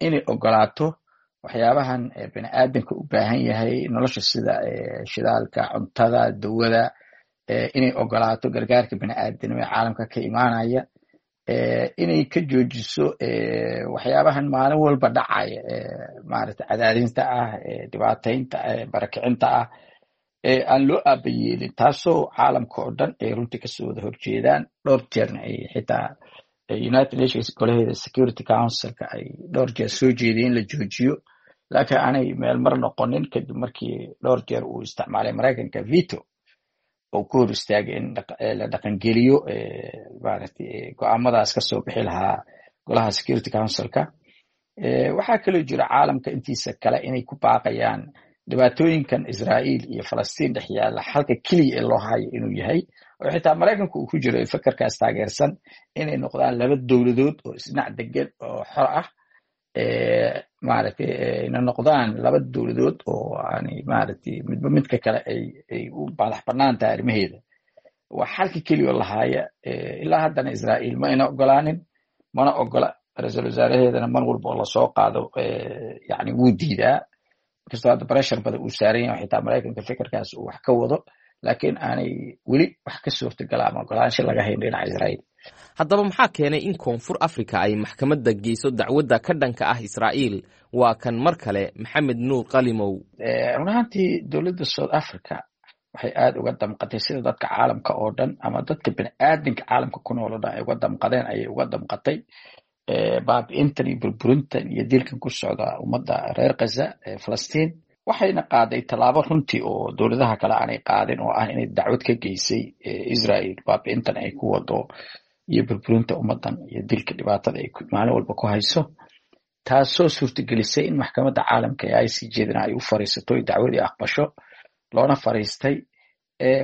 inay ogolaato waxyaabahan bini aadamka u baahan yahay nolosha sida shidaalka, cuntada, dawada. Inay ogolaato gargaarka bini'aadanimo ee caalamka ka imaanaya, inay ka joojiso waxyaabahan maalin walba dhacaya, maaragtay, cadaadinta ah, dhibaataynta, barakicinta ah ee aan loo aabayeelin, taasoo caalamka oo dhan ay runtii kasoo wada horjeedaan. Dhowr jeerna ay xitaa United Nations golaheeda Security Councilka ay dhowr jeer soo jeediyeen in la joojiyo, laakiin aanay meel mar noqonin, kadib markii dhowr jeer uu isticmaalay Maraykanka veto oo ku hor istaagay in la dhaqangeliyo, maaragtay, go'aamadaas kasoo bixi lahaa golaha Security Councilka. Waxaa kaloo jira caalamka intiisa kale inay ku baaqayaan dhibaatooyinkan Israa'iil iyo Falastiin dhex yaalla xalka keliya ee loo hayo inuu yahay, oo xitaa Maraykanku uu ku jiro fakarkaas taageersan, inay noqdaan laba dowladood oo isdhinac degan oo xor ah, maaragtay, ina noqdaan laba dowladood oo aanay, maaragtay, midba midka kale ay u madax bannaan tahay arrimaheeda. Waa xalka keliya oo lahaaya. Ilaa haddana Israa'iil ma ayna ogolaanin, mana ogola. Ra-iisul wasaaraheedana mar walba oo lasoo qaado, yani, wuu diidaa, inkastoo hadda pressure badan uu saaran yahay, xitaa Maraykanka fikirkaas uu wax ka wado, laakiin aanay weli wax ka suurtagala ama ogolaansho laga hayn dhinaca Israa'iil. Haddaba maxaa keenay in Koonfur Africa ay maxkamadda geyso dacwadda ka dhanka ah Israa'iil? Waa kan mar kale Maxamed Nuur Qalimow. Run ahaantii, dowladda South Africa waxay aada uga damqatay sida dadka caalamka oo dhan ama dadka bini'aadinka caalamka ku nool oo dhan ay uga damqadeen ayay uga damqatay baabi'intan iyo burburintan iyo dilkan ku socda ummadda reer Khaza ee Falastiin. Waxayna qaaday tallaabo runtii oo dowladaha kale aanay qaadin, oo ah inay dacwad ka geysay Israel baabi'intan ay ku wado iyo burburinta ummaddan iyo dilka dhibaatada ay maalin walba ku hayso, taasoo suurtagelisay in maxkamadda caalamka ee ICJ-dana ay u fariisato dacwadii aqbasho loona fariistay.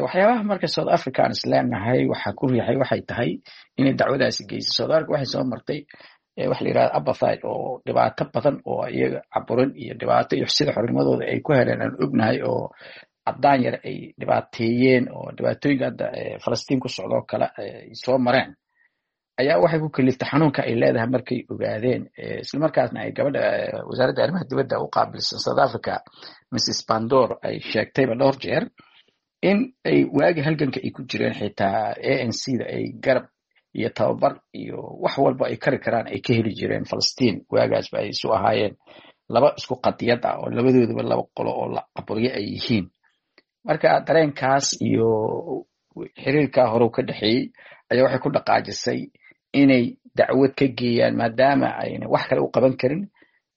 Waxyaabaha marka South Africa aan isleenahay waxaa ku riixay waxay tahay inay dacwadaasi geysay, South Africa waxay soo martay waxa la yirahda apartheid oo dhibaato badan oo iyaga caburin iyo dhibaato iyo sida xornimadooda ay ku heleen aan ognahay, oo caddaan yar ay dhibaateeyeen, oo dhibaatooyinka hadda Falastiin ku socdoo kale ay soo mareen, ayaa waxay ku kaliftay xanuunka ay leedahay markay ogaadeen, islamarkaasna ay gabadha wasaaradda arrimaha dibadda u qaabilsan South Africa, Mrs Pandor, ay sheegtayba dhowr jeer in ay waagi halganka ay ku jireen xitaa ANC da ay garab iyo tababar iyo wax walba ay kari karaan ay ka heli jireen Falastiin, waagaasba ay isu ahaayeen laba isku qadiyad ah oo labadoodaba laba qolo oo la caburyo ay yihiin. Marka dareenkaas iyo xiriirkaa hore ka dhexeeyey ayaa waxay ku dhaqaajisay inay dacwad ka geeyaan, maadaama ayna wax kale u qaban karin,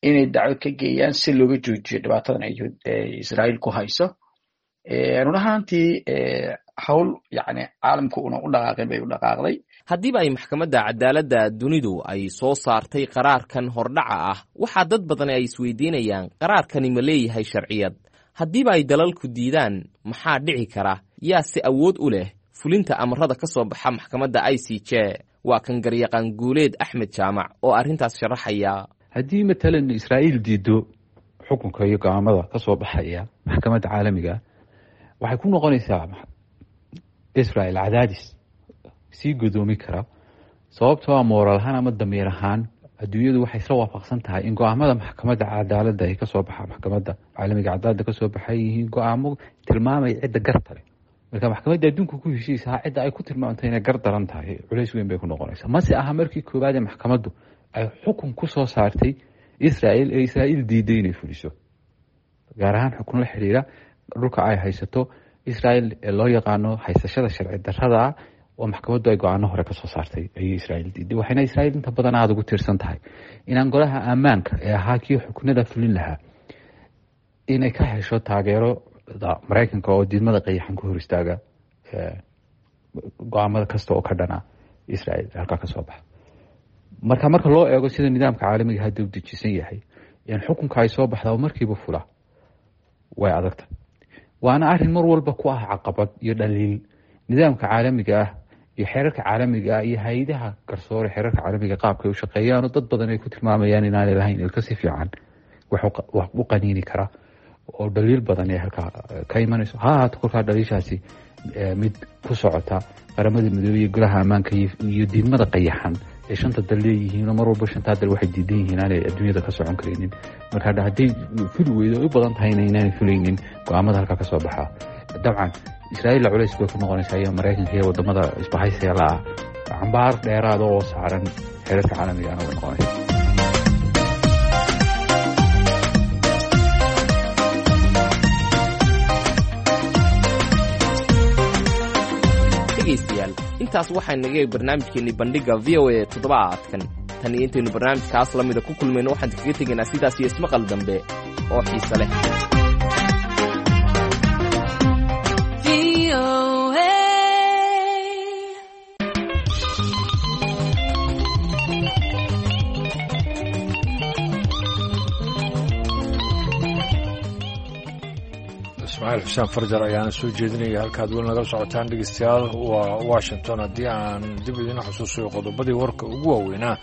inay dacwad ka geeyaan si looga joojiyo dhibaatadan ay Israa'iil ku hayso. Run ahaantii, hawl yacni caalamku una u dhaqaaqin bay u dhaqaaqday. Haddiiba ay maxkamadda cadaaladda dunidu ay soo saartay qaraarkan hordhaca ah, waxaa dad badan ay isweydiinayaan: qaraarkani ma leeyahay sharciyad? Haddiiba ay dalalku diidaan, maxaa dhici kara? Yaa si awood u leh fulinta amarada ka soo baxa maxkamadda ICJ? Waa kan garyaqaan Guuleed Axmed Jaamac oo arrintaas sharaxaya. Haddii matalan Israa'iil diido xukunka iyo go'aamada ka soo baxaya maxkamadda caalamiga, waxay ku noqonaysaa Israel cadaadis sii godoomi kara, sababtoo ah moral ahaan ama damiir ahaan adduunyadu waxay isla waafaqsan tahay in go'aamada maxkamadda cadaaladda ay kasoo baxa, maxkamadda caalamiga cadaaladda kasoo baxay, yihiin go'aamo tilmaamaya cidda garta leh. Marka maxkamadda adduunka ku heshiisaha cidda ay ku tilmaamtay inay gar daran tahay, culays weyn bay ku noqonaysaa. Mase aha markii koowaad ee maxkamaddu ay xukun ku soo saartay Israel ee Israa'iil diiday inay fuliso, gaar ahaan xukun la xiriira dhulka ay haysato Israel ee loo yaqaano haysashada sharci darrada, oo maxkamaddu ay go'aano hore kasoo saartay ayay Israa'iil diiday. Waxayna Israa'iil inta badan aada ugu tiirsan tahay inaan golaha ammaanka ee ahaa kii xukunada fulin lahaa inay ka hesho taageerada Maraykanka oo diidmada qayaxan ku hor istaaga go'aamada kasta oo ka dhana Israa'iil halkaa kasoo baxa. Marka loo eego sida nidaamka caalamiga hadda u dejisan yahay, in xukunka ay soo baxda oo markiiba fula way adagta, waana arrin mar walba ku ah caqabad iyo dhaliil nidaamka caalamiga ah iyo xeerarka caalamiga ah iyo hay'adaha garsoore xeerarka caalamiga qaabka ay u shaqeeyaan, oo dad badan ay ku tilmaamayaan inaanay lahayn ilka si fiican wax u qaniini kara, oo dhaliil badan ee halkaa ka imanayso. Ha ahaato kolkaa dhaliishaasi mid ku socota Qaramada Midoobey iyo golaha ammaanka iyo diidmada qayaxan ee shanta dal leeyihiin, oo mar walba shantaa dal waxay diidan yihiin aanay adduunyada ka socon karaynin. Marka hadday fuli weydo, ay u badan tahayna inaanay fulaynin go'aamada halkaa ka soo baxa, dabcan Israa'iilla culays bay ku noqonaysaa iyo Maraykanka iyo wadamada isbahaysiga la ah, cambaar dheeraada oo saaran xeerarka caalamigaana way noqonaysa. Dhegaystayaal, intaas waxaa naga eeg barnaamijkeennii Bandhigga V O A toddobaadkan. Tan iyo intaynu barnaamijkaas la mida ku kulmayno, waxaan kaga tegaynaa sidaas iyo ismaqal dambe oo xiise leh. Ismaaciil Xuseen Farjar ayaana soo jeedinaya. Halkaad weli nagala socotaan, dhegeystayaal, waa Washington. Haddii aan dib idiin xusuusayo qodobadii warka ugu waaweynaa,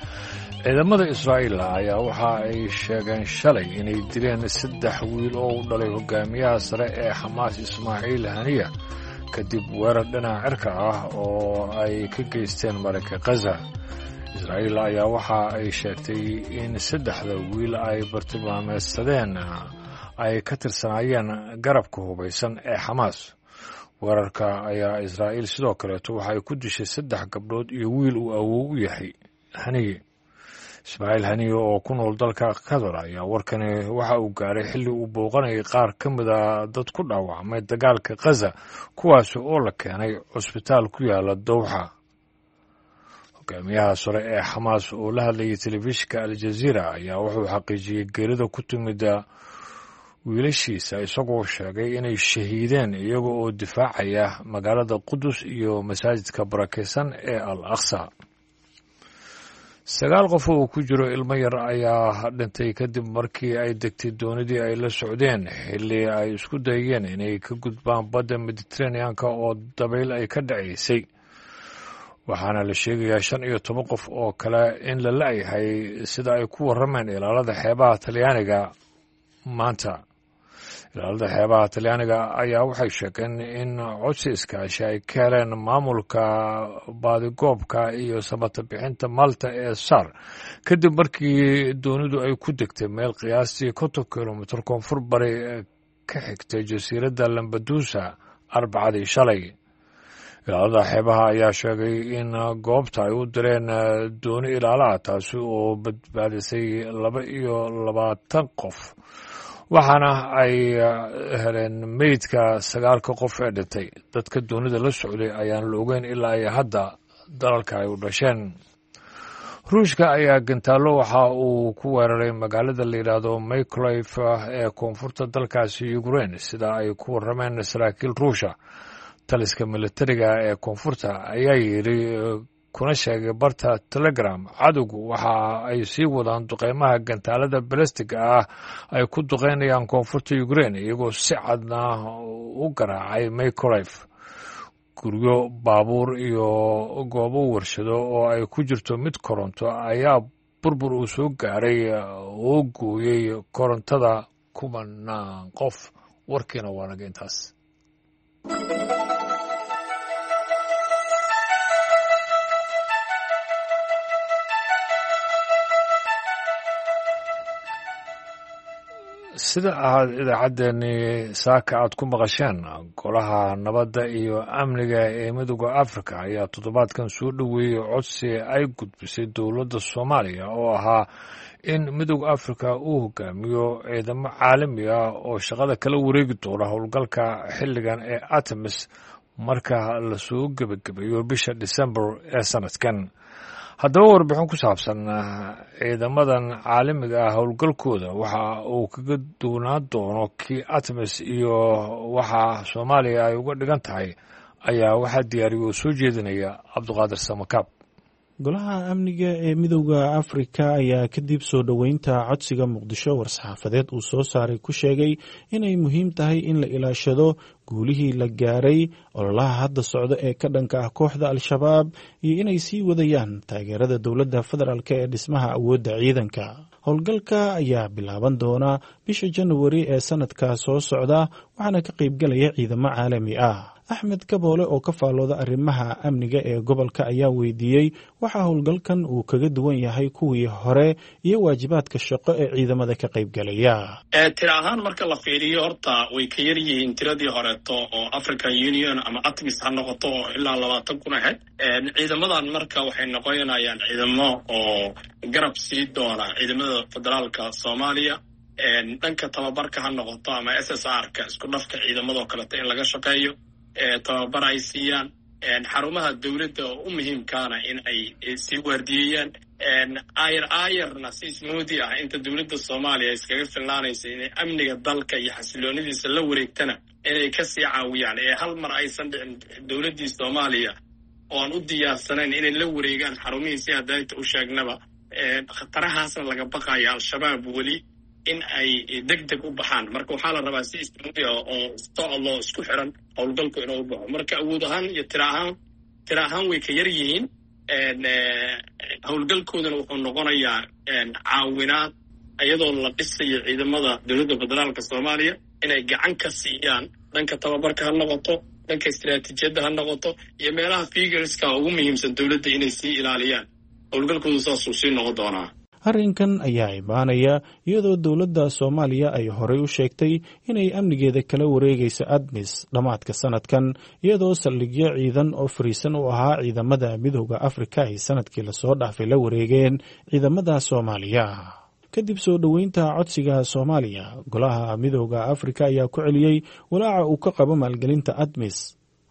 ciidamada Israa'iil ayaa waxa ay sheegeen shalay inay dileen 3 wiil oo u dhalay hogaamiyaha sare ee Xamaas Ismaaciil Haniya, kadib weerar dhinaca cirka ah oo ay ka geysteen marinka Khaza. Israa'iil ayaa waxa ay sheegtay in saddexda wiil ay bartilmaameedsadeen ay ka tirsanaayeen garabka hubaysan ee Xamaas. Weerarka ayaa Israa'iil sidoo kaleeto waxay ku dishay 3 gabdhood iyo wiil uu awow u yahay Haniye. Ismaaciil Haniye oo ku nool dalka Qatar ayaa warkani waxa uu gaaray xilli uu booqanayay qaar ka mida dad ku dhaawacmay dagaalka Khaza, kuwaasi oo la keenay cusbitaal ku yaala Dowxa. Hogaamiyaha sare ee Xamaas oo la hadlayay telefishinka Aljaziira ayaa wuxuu xaqiijiyey geerida ku timida wiilashiisa, isagoo sheegay inay shahiideen iyaga oo difaacaya magaalada Qudus iyo masaajidka barakeysan ee Al Aqsa. 9 qof oo ku jiro ilmo yar ayaa dhintay kadib markii ay degtay doonidii ay la socdeen xilli ay isku dayeen inay ka gudbaan badda Mediteraneanka oo dabayl ay ka dhacaysay. Waxaana la sheegayaa 15 qof oo kale in la la'yahay, sida ay ku warrameen ilaalada xeebaha Talyaaniga maanta. Ilaalada xeebaha Talyaaniga ayaa waxay sheegeen in codsi iskaashi ay ka heleen maamulka baadigoobka iyo samata bixinta Malta ee SAR, kadib markii doonidu ay ku degtay meel qiyaastii 50 kilomitir koonfur bari ka xigtay jasiiradda Lambadusa Arbacadii shalay. Ilaalada xeebaha ayaa sheegay in goobta ay u direen dooni ilaalaha, taasi oo badbaadisay 22 qof, waxaana ay heleen meydka 9-ka qof ee dhintay. Dadka doonida la socday ayaan la ogeyn ilaa ay hadda dalalka ay u dhasheen. Ruushka ayaa gantaallo waxa uu ku weeraray magaalada la yidhaahdo Mykolaiv ee koonfurta dalkaasi Ukraine, sida ay ku warrameen saraakiil Ruusha. Taliska militariga ee koonfurta ayaa yidhi kuna sheegay barta Telegram, cadowgu waxa ay sii wadaan duqeymaha gantaalada balastiga ah ay ku duqeynayaan koonfurta Ukraine, iyagoo si cadna u garaacay Mykolaiv. Guryo, baabuur iyo goobo warshado oo ay ku jirto mid koronto ayaa burbur uu soo gaaray oo gooyey korontada kumanaan qof. Warkiina waa naga intaas. Sida ahaad idaacaddeenii saaka aad ku maqasheen, Golaha Nabadda iyo Amniga ee Midooda Afrika ayaa toddobaadkan soo dhoweeyey codsi ay gudbisay dowladda Soomaaliya oo ahaa in Midooda Afrika uu hogaamiyo ciidamo caalami ah oo shaqada kala wareegi doona howlgalka xilligan ee Artemis marka lasoo gebagabeeyo bisha Disembar ee sanadkan. Haddaba warbixin ku saabsan ciidamadan caalamiga ah howlgalkooda waxa uu kaga duwnaan doono kii Artemis iyo waxa Soomaaliya ay uga dhigan tahay ayaa waxaa diyaariya oo soo jeedinaya Cabduqaadir Samakaab. Golaha Amniga ee Midowda Afrika ayaa kadib soo dhoweynta codsiga Muqdisho war-saxaafadeed uu soo saaray ku sheegay inay muhiim tahay in la ilaashado guulihii la gaaray ololaha hadda socda ee ka dhanka ah kooxda Al-Shabaab iyo inay sii wadayaan taageerada dowladda federaalk ee dhismaha awoodda ciidanka. Howlgalka ayaa bilaaban doona bisha Januari ee sanadka soo socda, waxaana ka qaybgalaya ciidamo caalami ah. Axmed Kaboole oo ka faallooda arrimaha amniga ee gobolka ayaa weydiiyey waxa howlgalkan uu kaga duwan yahay kuwii hore iyo waajibaadka shaqo ee ciidamada ka qaybgalaya. Tira ahaan marka la fiiriyo, horta way ka yar yihiin tiradii horeeto oo African Union ama ATMIS ha noqoto oo ilaa 20,000 ahayd. Ciidamadan marka waxay noqonayaan ciidamo oo garab sii doona ciidamada federaalka Soomaaliya, dhanka tababarka ha noqoto ama SSR ka, isku dhafka ciidamadoo kaleeto in laga shaqeeyo, tababar ay siiyaan xarumaha dowladda oo u muhiimkaana in ay sii waardiyeeyaan, ayar ayarna si smooth ah inta dowladda Soomaaliya iskaga filnaanaysa inay amniga dalka iyo xasiloonidiisa la wareegtana inay kasii caawiyaan, ee hal mar aysan dhicin dowladdii Soomaaliya oo aan u diyaarsanayn inay la wareegaan xarumihii. Si hadayta u sheegnaba, khatarahaasna laga baqayo Al-Shabaab weli in ay deg deg u baxaan. Marka waxaa la rabaa si smooth ah oo socodloo isku xiran howlgalku inuu baxo. Marka awood ahaan iyo tira ahaan way ka yar yihiin. Howlgalkoodana wuxuu noqonayaa caawinaad iyadoo la dhisayo ciidamada dowladda federaalka Soomaaliya inay gacan ka siiyaan, dhanka tababarka ha noqoto, dhanka istiraatiijiyadda ha noqoto, iyo meelaha figureska ugu muhiimsan dowladda inay sii ilaaliyaan. Howlgalkoodu saasuu sii noqon doonaa. Arrinkan ayaa imaanaya iyadoo dowladda Soomaaliya ay horey u sheegtay inay amnigeeda kala wareegayso ATMIS dhammaadka sanadkan, iyadoo saldhigyo ciidan oo fariisan u ahaa ciidamada Midooda Afrika ay sanadkii lasoo dhaafay la wareegeen ciidamada Soomaaliya. Kadib soo dhoweynta codsiga Soomaaliya, Golaha Midooda Afrika ayaa ku celiyey walaaca uu ka qabo maalgelinta ATMIS.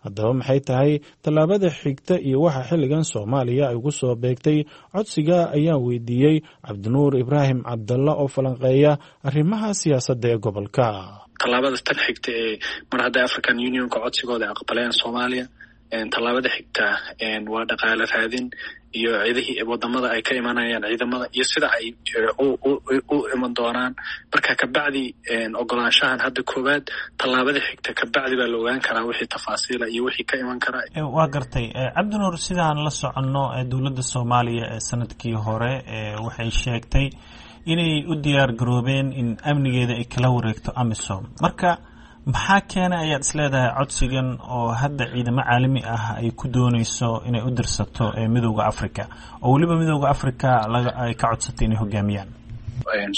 Haddaba, maxay tahay tallaabada xigta iyo waxa xilligan Soomaaliya ay ugu soo beegtay codsiga, ayaan weydiiyey Cabdinuur Ibraahim Cabdalla oo falanqeeya arrimaha siyaasadda ee gobolka. Tallaabada tan xigta ee mar hadday African Unionka codsigooda aqbaleen Soomaaliya, tallaabada xigta waa dhaqaale raadin iyo ciidihii wadamada ay ka imanayaan ciidamada iyo sida ay u iman doonaan. Marka kabacdi ogolaanshahan hadda koowaad, tallaabada xigta kabacdi baa la ogaan karaa wixii tafaasiila iyo wixii ka iman karaa. Waa gartay, Cabdinuur. Sidaan la soconno, dowladda Soomaaliya ee sanadkii hore waxay sheegtay inay u diyaar garoobeen in amnigeeda ay kala wareegto AMISOM. Marka maxaa keenay ayaad is leedahay codsigan oo hadda ciidamo caalami ah ay ku dooneyso inay u dirsato Midooda Africa, oo weliba Midooda Africa ay ka codsatay inay hogaamiyaan?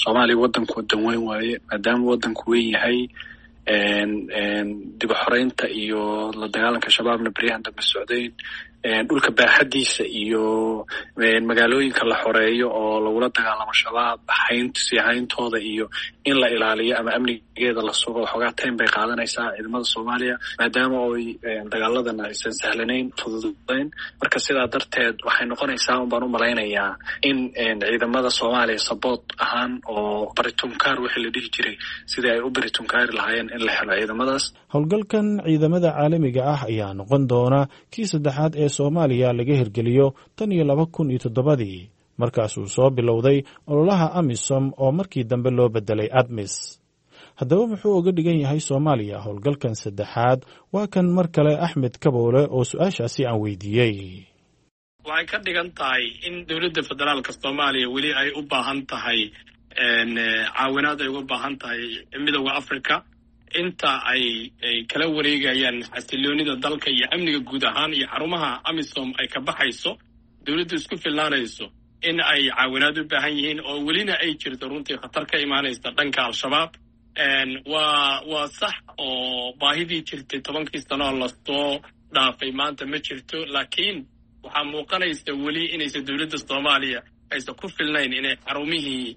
Soomaaliya wadanku wadan weyn waaye. Maadaama wadanku weyn yahay, dib u xoreynta iyo la dagaalanka Shabaabna beryahan dambe socdayn, dhulka baaxadiisa iyo magaalooyinka la xoreeyo oo lagula dagaalamo Shabaab hayn sii hayntooda iyo in la ilaaliyo ama amnigeeda la sugo, waxoogaa time bay qaadanaysaa ciidamada Soomaaliya, maadaama oy dagaaladan aysan sahlanayn, fududayn. Marka sidaa darteed waxay noqonaysaa un baan u malaynayaa in ciidamada Soomaaliya support ahaan oo baritunkaar wixii la dhihi jiray, sidii ay u baritunkaari lahaayeen, in la helo ciidamadaas. Howlgalkan ciidamada caalamiga ah ayaa noqon doona kii saddexaad ee Soomaaliya laga hirgeliyo tan iyo 2007-dii, markaasuu soo bilowday ololaha AMISOM oo markii dambe loo bedelay ATMIS. Haddaba, muxuu uga dhigan yahay Soomaaliya howlgalkan saddexaad? Waa kan mar kale Axmed Kaboole oo su-aashaasi aan weydiiyey. Waxay ka dhigan tahay in dowladda federaalka Soomaaliya weli ay u baahan tahay caawinaad, ay uga baahan tahay Midooda Africa inta ay kala wareegayaan xasiloonida dalka iyo amniga guud ahaan iyo xarumaha AMISOM ay ka baxayso, dowladdu isku filnaanayso, in ay caawinaad u baahan yihiin oo welina ay jirto runtii khatar ka imaanaysa dhanka Al-Shabaab. Waa sax oo baahidii jirtay 10-kii sano lasoo dhaafay maanta ma jirto, laakiin waxaa muuqanaysa weli inaysan dowladda Soomaaliya aysan ku filnayn inay xarumihii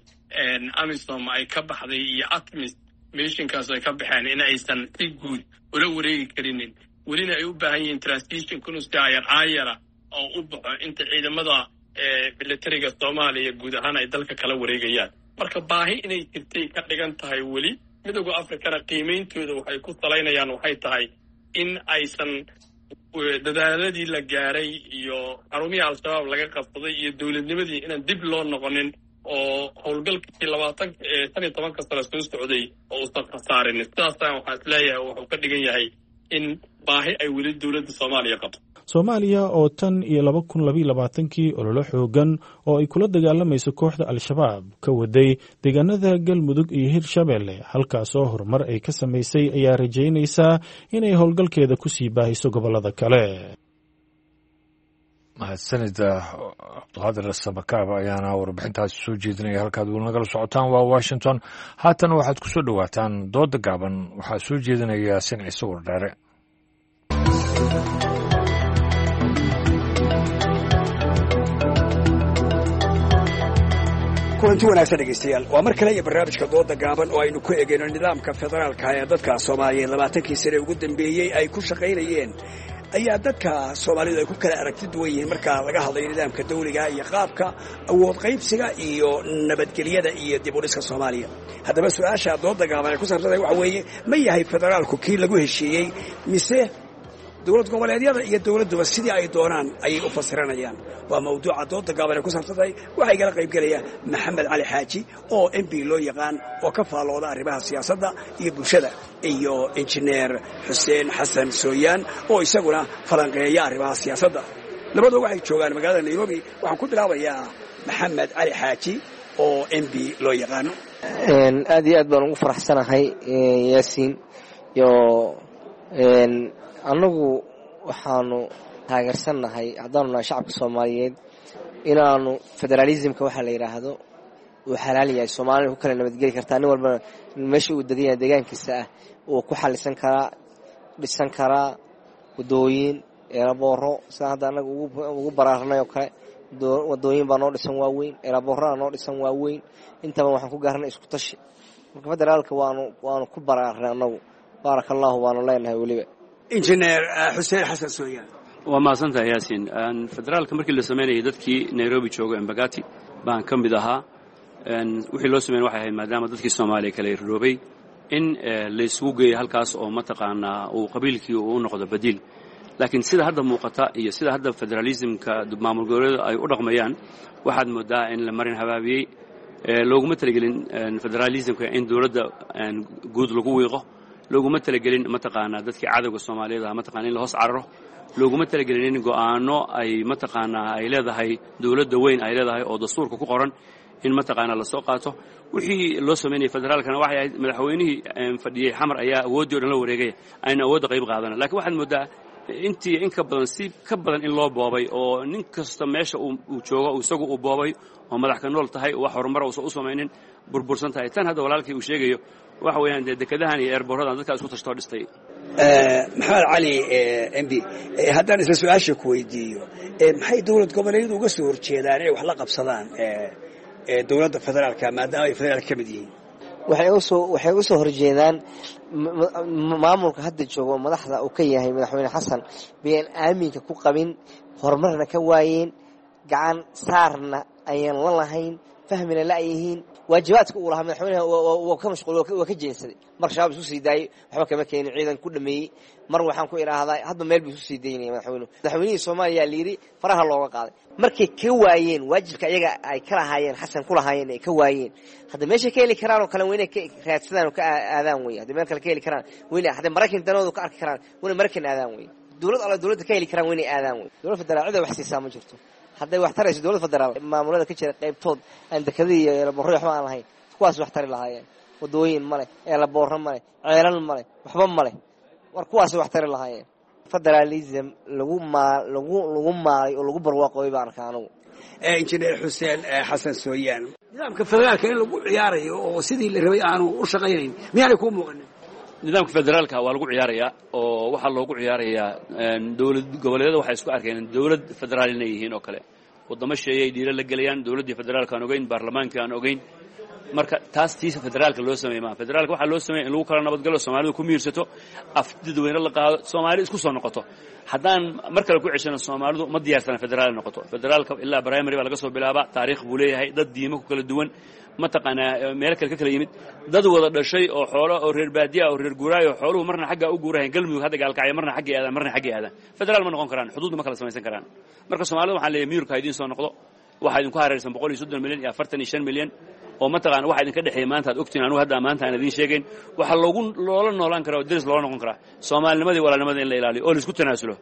AMISOM ay ka baxday iyo ATMIS missionkaas ay ka baxeen in aysan si guud ula wareegi karinin, welina ay u baahan yihiin transition kunus ayar aayara oo u baxo inta ciidamada militariga Soomaaliya guud ahaan ay dalka kala wareegayaan. Marka baahi inay jirtay ka dhigan tahay weli. Midooda Africana qiimeyntooda waxay ku salaynayaan waxay tahay in aysan dadaaladii la gaaray iyo xarumihii Al-Shabaab laga qabsaday iyo dowladnimadii inaan dib loo noqonin oo howlgalkii 15-ka sano soo socday oo uusan khasaarin. Sidaasaan waxaa is leeyahay wuxuu ka dhigan yahay in baahi ay weli dowladda Soomaaliya qabto. Soomaaliya oo tan iyo 2022kii ololo xoogan oo ay kula dagaalamayso kooxda Al-Shabaab ka waday deegaanada Galmudug iyo Hirshabeelle, halkaasoo horumar ay ka samaysay, ayaa rajaynaysaa inay howlgalkeeda kusii baahiso gobollada kale. Mahadsanida Cabdiqaadir Samakaab ayaana warbixintaasi soo jeedinaya. Halkaad weli nagala socotaan waa Washington. Haatan waxaad ku soo dhowaataan dooda gaaban. Waxaa soo jeedinaya Yaasiin Ciise Wardheere. Kulanti wanaagsan dhegaystayaal, waa mar kale iyo barnaamijka dooda gaaban oo aynu ku eegayno nidaamka federaalka ee dadka Soomaaliyeed 20kii sane ugu dambeeyey ay ku shaqaynayeen. Ayaa dadka Soomaalidu ay ku kala aragti duwan yihiin marka laga hadlayo nidaamka dawliga iyo qaabka awood qaybsiga iyo nabadgelyada iyo dib u dhiska Soomaaliya. Haddaba su-aasha dooda gaaban ay ku saabsantahay waxa weeye: ma yahay federaalku kii lagu heshiiyey, mise dowlad goboleedyada iyo dowladduba sidii ay doonaan ayay u fasiranayaan? Waa mawduuca dooda gaaban ay ku saabsantahay. Waxaa igala qaybgelaya Maxamed Cali Xaaji oo MB loo yaqaan oo ka faallooda arrimaha siyaasadda iyo bulshada, iyo injineer Xuseen Xasan Sooyaan oo isaguna falanqeeya arrimaha siyaasadda. Labadua waxay joogaan magaalada Nairobi. Waxaan ku bilaabayaa Maxamed Cali Xaaji oo MB loo yaqaano. Aad iyo aad baan ugu faraxsanahay, Yaasiin. Iyo annagu waxaanu taageersannahay, haddaanu nahay shacabka Soomaaliyeed, inaanu federaalismka waxaa la yidhaahdo uu xalaal yahay, Soomaalina ku kala nabadgeli kartaa, nin walbana meesha uu degan yahay deegaankiisa ah uu ku xalisan karaa, dhisan karaa wadooyin, eelabooro, sida hadda annaga ugu baraarnay oo kale. Wadooyin baa noo dhisan waaweyn, eelaboorana noo dhisan waaweyn. Intaba waxaan ku gaarnay isku tashi. Marka federaalka waanu ku baraarnay annagu, baaraka allahu baanu leenahay weliba. Injineer Xuseen Xasan Sooyaan. Waa mahadsantahay, Yaasiin. Federaalka markii la samaynayay, dadkii Nairobi jooga, Embagati baan ka mid ahaa. Wixii loo sameyn waxay ahayd, maadaama dadkii Soomaaliya kala iroobay, in laysugu geeyo halkaas oo mataqaanaa uu qabiilkii uu u noqdo badiil. Laakiin sida hadda muuqata iyo sida hadda federalismka maamul goboleedu ay u dhaqmayaan, waxaad moodaa in la marin habaabiyey. Looguma talagelin federalismka in dowladda guud lagu wiiqo, looguma talagelin mataqaanaa dadkii cadowga Soomaaliyeed ah mataqana in la hoos cararo, looguma talagelin in go'aano ay mataqaanaa ay leedahay dowladda weyn ay leedahay oo dastuurka ku qoran in mataqaanaa lasoo qaato. Wixii loo samaynayay federaalkana waxay ahayd madaxweynihii fadhiyey Xamar ayaa awooddii o dhan la wareegaya, ayna awoodda qayb qaadana. Lakiin waxaad moodaa intii in ka badan, si ka badan in loo boobay, oo nin kasta meesha uu joogo isagu uu boobay oo madax ka nool tahay, wax horumara uusan u samaynin, burbursan tahay. Tan hadda walaalkii uu sheegayo waxa weeyaan dee dekedahan iyo eerboorradan dadkaa isku tashtoo dhistay. Maxamed Cali MB, haddaan isla su-aasha ku weydiiyo, maxay dowlad goboleedyadu uga soo horjeedaan inay wax la qabsadaan dowladda federaalka, maadaama ay federaalka ka mid yihiin? Waxay u soo horjeedaan maamulka hadda jooga oo madaxda uu ka yahay madaxweyne Xasan bayaan aaminka ku qabin, horumarna ka waayeen, gacan saarna ayaan la lahayn, fahmina la'yihiin waajibaadka uu lahaa madaxweynaha. Waa ka mashquul, waa ka jeensaday. Mar Shabaab isu sii daayey, waxba kama keenin, ciidan ku dhameeyey. Mar waxaan ku idhaahdaa hadba meel buu isu sii daynaya madaxweynuhu. Madaxweynihii Soomaaliya la yidhi faraha looga qaaday. Markay ka waayeen waajibka iyaga ay ka lahaayeen, Xasan ku lahaayeen, ay ka waayeen, hadda meeshay ka heli karaan oo kale waa inay ka raadsadaan oo ka aadaan wey. Hadday meel kale ka heli karaan wayna, hadday Maraykan danoodu ka arki karaan wayna Maraykan aadaan wey. Dowlad alla dowladda ka heli karaan waa inay aadaan wey. Dowlad federaal cida wax siisaa ma jirto. Hadday wax tarayso dowlad federaal, maamulada ka jira qaybtood aan dekadii iyo eelaboorro waxba aan lahayn, kuwaas wax tari lahaayeen. Wadooyin male, eelaboorro male, ceelal male, waxba male, war kuwaas wax tari lahaayeen. Federalism lagu maa lagu lagu maalay oo lagu barwaaqooy baan arkaa anugu. Injineer Xuseen Xasan Sooyaan, nidaamka federaalka in lagu ciyaarayo oo sidii la rabay aanu u shaqaynayn miyaanay kuu muuqanin? Nidaamka federaalka waa lagu ciyaarayaa, oo waxaa loogu ciyaarayaa dowlad goboleedyada waxay isku arkeen dowlad federaal inay yihiin oo kale. Waddamo sheeyay dhiiro la gelayaan dowladdii federaalka aan ogeyn, baarlamaankii aan ogeyn. Marka taas tiisa federaalka loo sameeyey maa. Federaalka waxaa loo sameeyey in lagu kala nabadgalo, Soomaalidu ku miirsato, af dadweyne la qaado, Soomaali isku soo noqoto. Haddaan mar kale ku ceshano, Soomaalidu ma diyaarsana federaal noqoto. Federaalka ilaa primary baa laga soo bilaabaa, taariikh buu leeyahay, dad diimo ku kala duwan, mataqaanaa meel kale ka kala yimid, dad wada dhashay oo xoolo oo reer baadiya oo reer guuraayo, xooluhu marna xagga u guurahayn Galmudug hadda Gaalkacyo, marna xaggay aadaan, marna xaggay aadaan, federaal ma noqon karaan, xuduudna ma kala samaysan karaan. Marka Soomaalida waxaan leeyahay miyurka ha idiin soo noqdo. Waxaa idinku hareersan 130 milyan iyo 45 milyan. Oo mataqaana waxa idinka dhexeeya maanta aad ogtihiin, anugu hadda maanta aan idiin sheegayn, waxaa loogu loola noolaan karaa oo deris loola noqon karaa soomaalinimadii, walaalnimada in la ilaaliyo oo la isku tanaasulo.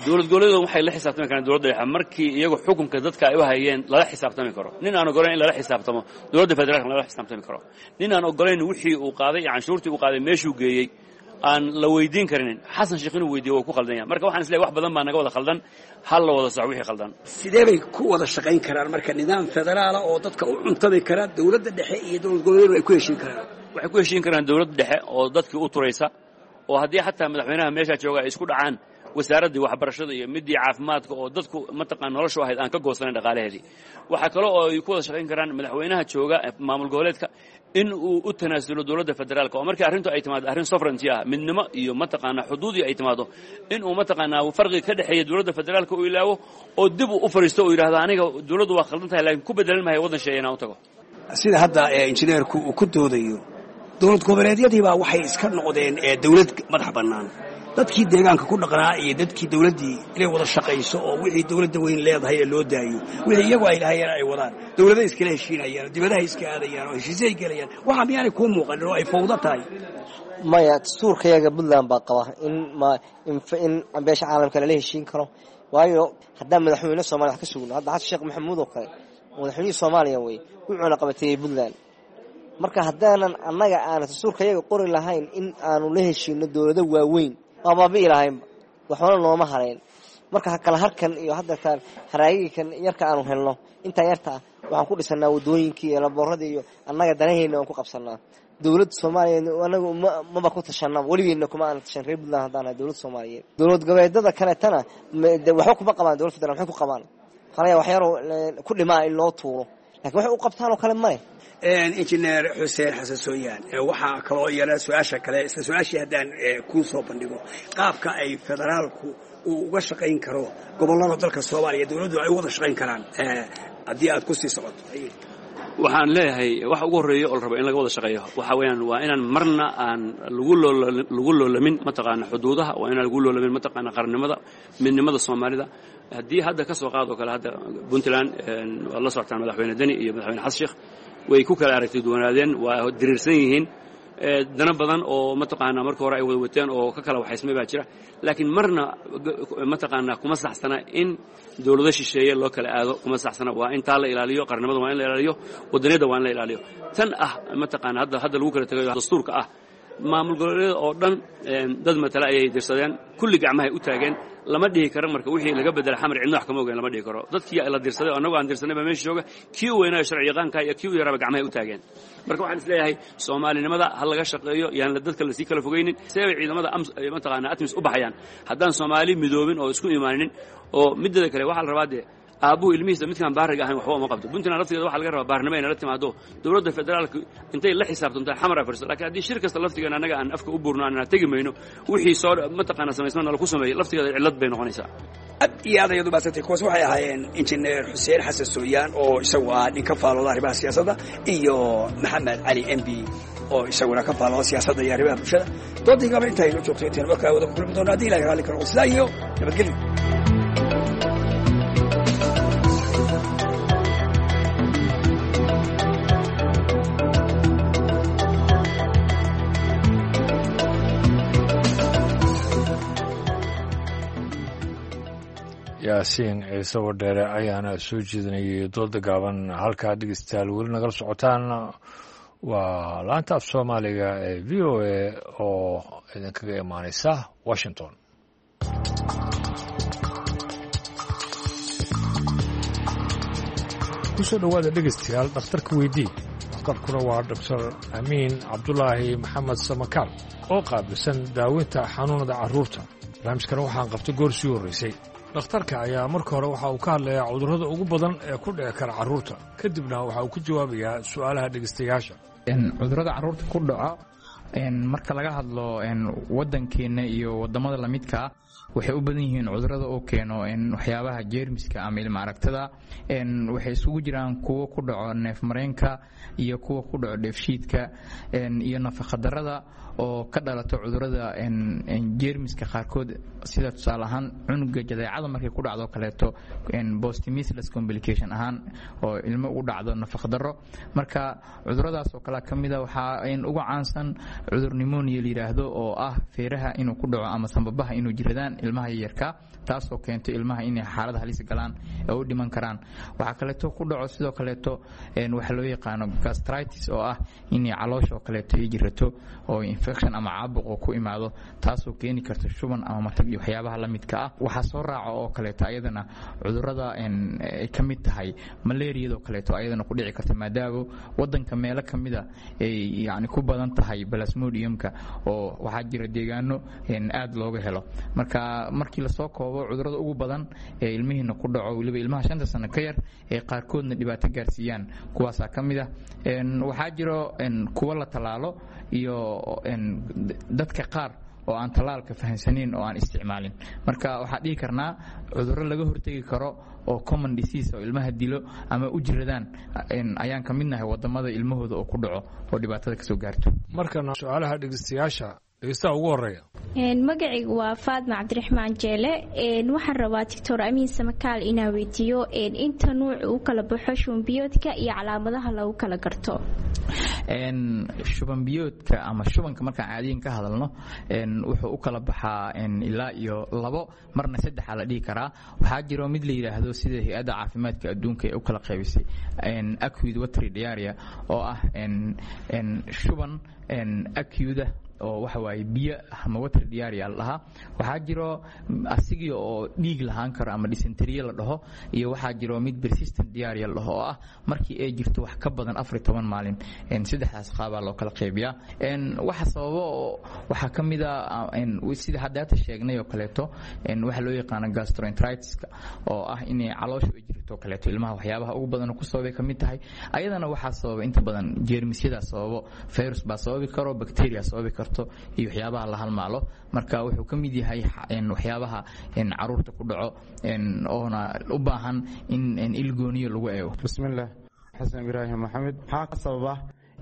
Dowlad goboleedu waxay la xisaabtami karaan dowladda dhexe markii iyagu xukunka dadka ay u hayeen lala xisaabtami karo. Nin aan ogolayn in lala xisaabtamo dowladda federaalka lala xisaabtami karo, nin aan ogolayn wixii uu qaaday iyo canshuurtii uu qaaday meeshuu geeyey aan la weydiin karinin, Xasan Sheekh inuu weydiiyo waa ku khaldan yahay. Marka waxaan isleeyahay wax badan baa naga wada khaldan, hal la wada sax wixii khaldan. Sidee bay ku wada shaqayn karaan marka nidaam federaala oo dadka u cuntami kara, dowladda dhexe iyo dowlad goboleedu ay ku heshiin karaan? Waxay ku heshiin karaan dowladda dhexe oo dadkii u turaysa, oo haddii xataa madaxweynaha meeshaa jooga ay isku dhacaan wasaaraddii waxbarashada iyo midii caafimaadka oo dadku mataqaan noloshu ahayd aan ka goosanayn dhaqaalaheedii. Waxaa kale oo ay ku wada shaqayn karaan madaxweynaha jooga maamul goboleedka in uu u tanaasulo dowladda federaalka, oo markii arrintu ay timaado arrin sovereignty ah, midnimo iyo mataqaanaa xuduudii ay timaado, in uu mataqaanaa farqiga ka dhexeeya dowladda federaalka uu ilaawo oo dib uu u fariisto oo yidhahdo aniga dowladdu waa khaldan tahay, laakiin ku bedelan mahayo waddan shisheeye inaan u tago. Sida hadda injineerku uu ku doodayo, dowlad goboleedyadii baa waxay iska noqdeen dowlad madax bannaan. Dadkii deegaanka ku dhaqnaa iyo dadkii dowladdii inay wada shaqayso oo wixii dowladda weyn leedahay ee loo daayo, wixii iyagu ay lahayeen ay wadaan, dowladaha iskala heshiinayaan oo dibadaha iska aadayaan oo heshiisyo ay gelayaan, waxaa miyaanay kuu muuqanin oo ay fawdo tahay? Maya, dastuurkayaga Puntland baa qaba in ma in beesha caalamka lala heshiin karo. Waayo, haddaan madaxweyne Somalia wax ka sugno, hadda Xasan Sheekh Maxamuud oo kale madaxweynihii Soomaaliya wey, wuxuuna qabateeyey Puntland. Marka haddaanan annaga aana dastuurkayaga qori lahayn in aanu la heshiino dowlado waaweyn, waa baabi'i lahaynba, waxbana nooma harayn. Marka kala harkan iyo hadda haraagikan yarka aanu helno, intaa yarta ah waxaan ku dhisanaa wadooyinkii iyo laboorradii iyo annaga danaheyna waan ku qabsanaa. Dowladda Soomaaliyeed anagu maba ku tashanaba, weligeena kuma aana tashan reer Puntland haddaan nahay dowladda Soomaaliyeed. Dowlad goboleedada kaletana waxba kuma qabaan dowlad federal. Maxay ku qabaan? Waxaa waxyaro ku dhimaa in loo tuuro, lakin waxay u qabtaan oo kale male. Injineer Xuseen Xasan Sooyaan, waxaa kaloo iyana su-aasha kale, isla su-aashii haddaan kuu soo bandhigo, qaabka ay federaalku uu uga shaqayn karo gobollada dalka Soomaaliya, dowladdu ay u wada shaqayn karaan, haddii aad ku sii socoto. Waxaan leeyahay waxa ugu horreeya oo la rabo in laga wada shaqeeyo waxa weeyaan waa inaan marna aan lagu loolamin mataqaana xuduudaha, waa inaan lagu loolamin mataqaana qarannimada, midnimada Soomaalida. Haddii hadda ka soo qaadoo kale hadda Puntland waad la socotaan, madaxweyne Deni iyo madaxweyne Xasan Sheekh way ku kala aragti duwanaadeen, waa diriirsan yihiin, dana badan oo mataqaanaa marka hore ay wada wateen oo ka kala waxaysmay baa jira, laakiin marna mataqaanaa kuma saxsana in dowlado shisheeye loo kala aado, kuma saxsana. Waa in taa la ilaaliyo, qarnimada waa in la ilaaliyo, wadaniyadda waa in la ilaaliyo. Tan ah mataqaana hadda lagu kala tegayo dastuurka ah, maamul goboleedyada oo dhan dad matala ayay dirsadeen, kulli gacmahay u taageen. Lama dhihi karo marka wixii laga bedela Xamar cidna wax kama ogeyn, lama dhihi karo. Dadkii la dirsaday oo annagu aan dirsanay baa meesha jooga, kii u weynaayo sharci yaqaanka iyo kii u yaraaba gacmahay u taageen. Marka waxaan isleeyahay soomaalinimada ha laga shaqeeyo, yaan dadka lasii kala fogeynin. See bay ciidamada mataqaana ATMIS u baxayaan haddaan Soomaali midoobin oo isku imaaninin? Oo mideeda kale waxaa la rabaa dee aabbuhu ilmihiisa midkaan baariga ahayn waxba uma qabto. Puntland laftigeeda waxaa laga rabaa baarnimo inay la timaado, dowladda federaalka intay la xisaabtanto Xamar afariso. Laakiin haddii shir kasta laftigeena annaga aan afka u buurno aanna tegi mayno, wixii soo mataqaana samaysma nala ku sameeyey laftigeeda cillad bay noqonaysaa. Aad iyo aad ayaad u mahadsantay. Kuwaas waxay ahaayeen injineer Xuseen Xasan Sooyaan oo isagu ah nin ka faalooda arrimaha siyaasadda, iyo Maxamed Cali M B oo isaguna ka faalooda siyaasadda iyo arrimaha bulshada. Doodii gaba inta aynu joogto, intayn markaa wada ku kulmi doono haddii Ilahay raalli ka noqdo, sidaa iyo nabadgelyo. Yaasiin Ciise Wadheere ayaana soo jeedinayay dooda gaaban. Halkaa dhegeystayaal weli nagala socotaan waa laanta af Soomaaliga ee VOA oo idinkaga imaaneysa Washington. Kusoo dhowaada dhegeystayaal dhakhtarka weydii. Dhakhtarkuna waa Doctor Amiin Cabdulaahi Maxamed Samakaal oo qaabilsan daaweynta xanuunada carruurta. Barnaamijkan waxaan qabtay goor sii horreysay. Dhakhtarka ayaa marka hore waxa uu ka hadlayaa cudurrada ugu badan ee ku dhici kara carruurta, kadibna waxa uu ku jawaabayaa su'aalaha dhegeystayaasha. Cudurrada carruurta ku dhaco marka laga hadlo waddankeenna iyo waddamada lamidkaa Waxay u badan yihiin cudurada uu keeno waxyaabaha jeermiska ama ilma aragtada. Waxay isugu jiraan kuwo ku dhaco neefmareenka iyo kuwa ku dhaco dheefshiidka iyo nafaqadarada oo ka dhalato cudurada jeermiska qaarkood, sida tusaale ahaan cunuga jadeecada markay ku dhacdo kaleeto, postmeasles complication ahaan oo ilmo ugu dhacdo nafaqadaro. Marka cuduradaas oo kale ka mid a waxaa ugu caansan cudur pneumonia la yidhaahdo, oo ah feeraha inuu ku dhaco ama sambabaha inuu jiradaan ilmaha yaryarka, taasoo keento ilmaha inay xaalad halis galaan ee u dhiman karaan. Waxaa kaleeto ku dhaco sidoo kaleeto waxa loo yaqaano gastritis, oo ah inay caloosha oo kaleeto ay jirato oo infection ama caabuq oo ku imaado, taasoo keeni karta shuban ama matag iyo waxyaabaha la midka ah. Waxaa soo raaca oo kaleeto ayadana cudurada ay ka mid tahay malaariyada oo kaleeto, ayadana ku dhici karta maadaama wadanka meelo ka mida ay yani ku badan tahay plasmodiumka, oo waxaa jira deegaano aad looga helo. Marka markii lasoo koobo, cudurada ugu badan ee ilmihiina ku dhaco, weliba ilmaha 5-ta sano ka yar, ee qaarkoodna dhibaato gaarsiiyaan, kuwaasaa ka mid ah. Waxaa jiro kuwo la tallaalo iyo dadka qaar oo aan tallaalka fahamsanayn oo aan isticmaalin. Marka waxaa dhihi karnaa cudurro laga hortegi karo oo common disease oo ilmaha dilo ama u jiradaan ayaan ka midnahay wadamada ilmahooda oo ku dhaco oo dhibaatada kasoo gaarto. Markana su-aalaha dhegeystayaasha. Dhegeystaha ugu horeeya. Magacaygu waa Faadma Cabdiraxmaan Jeele. Waxaan rabaa Doctor Amiin Samakaal inaan weydiiyo inta nuuc uu kala baxo shubanbiyoodka iyo calaamadaha lagu kala garto. Shubanbiyoodka ama shubanka markaan caadiyan ka hadalno, wuxuu u kala baxaa ilaa iyo labo, marna saddexa la dhihi karaa. Waxaa jiro mid la yidhaahdo, sida Hay-adda Caafimaadka Adduunka ee u kala qaybisay, acute watery diarrhea, oo ah shuban acute oo waxa waaye biyo ama water diarrhea la dhahaa. Waxaa jiro asigii oo dhiig lahaan karo ama dysentery la dhaho, iyo waxaa jiro mid persistent diarrhea la dhaho, oo ah markii ay jirto wax ka badan 14 maalin. Saddexdaas qaabaa loo kala qaybiyaa. Waxa sababo oo waxaa ka mid a sida haddaata sheegnay oo kaleeto waxa loo yaqaano gastroenteritis-ka, oo ah inay caloosha u jirto kaleeto ilmaha. Waxyaabaha ugu badan ku sababay ka mid tahay. Ayadana waxaa sababa inta badan jeermisyadaa sababo, virus baa sababi karo, bacteria sababi karto iyo waxyaabaha la halmaalo. Marka wuxuu ka mid yahay waxyaabaha caruurta ku dhaco oona u baahan in ilgooniyo lagu eego. Bismillaah, Xasan Ibraahim Maxamed. Maxaa ka sababa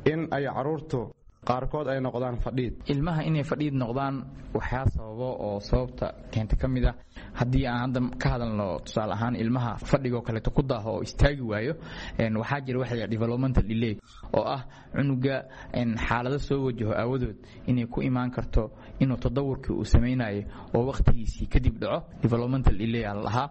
in ay caruurtu qaarkood ay noqdaan fadhiid? Ilmaha inay fadhiid noqdaan waxaa sababo oo sababta keenta ka mid ah, haddii aan hadda ka hadalno tusaale ahaan ilmaha fadhigoo kaleeto ku daaho oo istaagi waayo, waxaa jira waxa la yidhaha developmental delay, oo ah cunuga xaalado soo wajaho aawadood inay ku imaan karto inuu tadawurkii uu samaynayo oo waqtigiisii kadib dhaco. Developmental delay aa la dhahaa.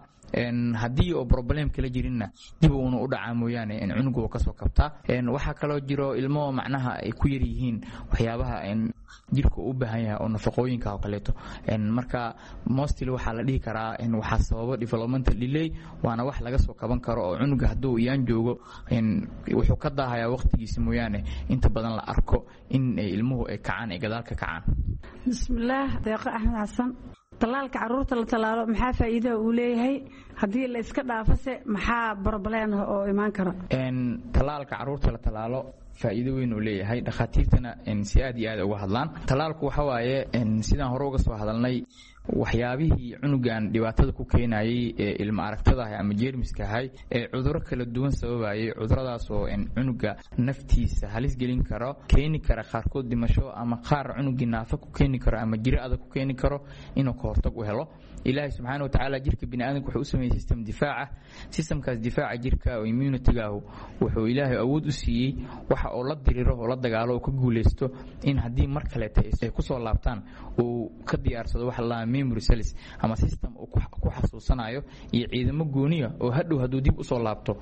Haddii oo problem kala jirinna, dib uuna u dhacaa mooyaane cunuga uu kasoo kabtaa. Waxaa kaloo jiro ilmo macnaha ay ku yar yihiin waxyaabaha jirka uu u baahan yahay oo nafaqooyinka oo kaleeto. Marka mostly waxaa la dhihi karaa waxaa sababo developmental delay, waana wax laga soo kaban karo, oo cunuga hadduu iyaan joogo wuxuu ka daahayaa waqtigiisa mooyaane, inta badan la arko in ilmuhu ay kacaan, ay gadaal ka kacaan. Bismillaah, Deeqo Axmed Xasan. Tallaalka caruurta la tallaalo maxaa faa'iidaha uu leeyahay? Haddii la iska dhaafase maxaa problem oo imaan kara? Tallaalka caruurta la tallaalo faa'iido weyn uu leeyahay, dhakhaatiirtana si aad iyo aad uga hadlaan. Tallaalku waxa waaye, sidaan hore uga soo hadalnay, waxyaabihii cunugan dhibaatada ku keenayay ee ilma aragtada ahay ama jeermiska ahay ee cudurro kala duwan sababayay, cuduradaas oo cunuga naftiisa halis gelin karo, keeni kara qaarkood dhimasho ama qaar cunugii naafa ku keeni karo ama jiro adag ku keeni karo, inuu ka hortag u helo. Ilaahay subxaana wa tacaala jirka biniaadamka wuxuu u sameeyey system difaaca. Systemkaas difaaca jirka oo immunity-gaahu wuxuu Ilaahay awood u siiyey waxa oo la diriro oo la dagaalo oo ka guuleysto, in haddii mar kaleeta ay kusoo laabtaan uu ka diyaarsado waxa la memory cells ama system uu ku xasuusanayo iyo ciidamo gooniya oo hadhow hadduu dib usoo laabto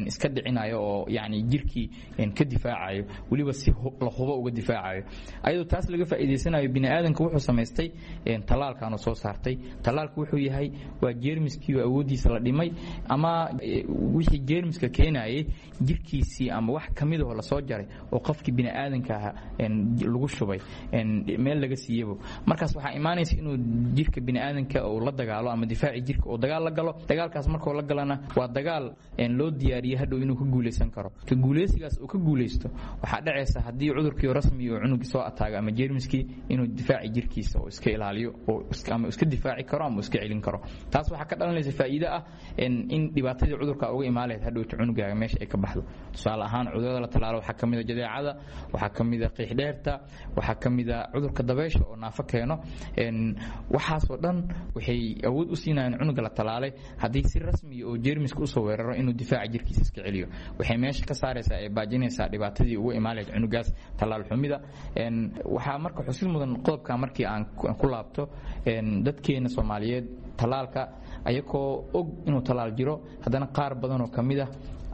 iska dhicinayo oo yacni jirkii ka difaacayo, weliba si la hubo uga difaacayo. Ayadoo taas laga faa'iidaysanayo, bini'aadanka wuxuu samaystay tallaalkaanu soo saartay. Tallaalku wuxuu yahay waa jeermiskii oo awooddiisa la dhimay ama wixii jeermiska keenayay jirkiisii ama wax ka mid ahoo lasoo jaray oo qofkii bini'aadanka ahaa lagu shubay meel laga siiyebo. Markaas waxaa imaanaysa inuu jirka bini'aadanka uu la dagaalo ama difaaci jirka uu dagaal la galo. Dagaalkaas markuu la galana waa dagaal loo diyaariyey hadhow inuu ka guuleysan karo. Ka guuleysigaas uu ka guuleysto, waxaa dhacaysa haddii cudurkii rasmi uu cunugii soo ataago ama jeermiskii, inuu difaaci jirkiisa oo iska ilaaliyo oo ama iska difaaci karo ama iska celin karo. Taas waxaa ka dhalanaysa faa'iido ah in dhibaatadii cudurka uga imaan lahayd hadhowta cunugaaga meesha ay ka baxdo. Tusaale ahaan, cudurada la tallaalo waxaa ka mid a jadeecada, waxaa ka mid a qiixdheerta, waxaa ka mid a cudurka dabeysha oo naafo keeno. Waxaasoo dhan waxay awood u siinayaan cunuga la tallaalay haddii si rasmiya oo jeermiska usoo weeraro inuu difaaca jirkiisa iska celiyo. Waxay meesha ka saaraysaa ee baajinaysaa dhibaatadii uga imaan lahayd cunugaas tallaal xumida. Waxaa marka xusid mudan qodobka markii aan ku laabto, dadkeena Soomaaliyeed tallaalka ayagoo og inuu tallaal jiro, haddana qaar badan oo ka mid ah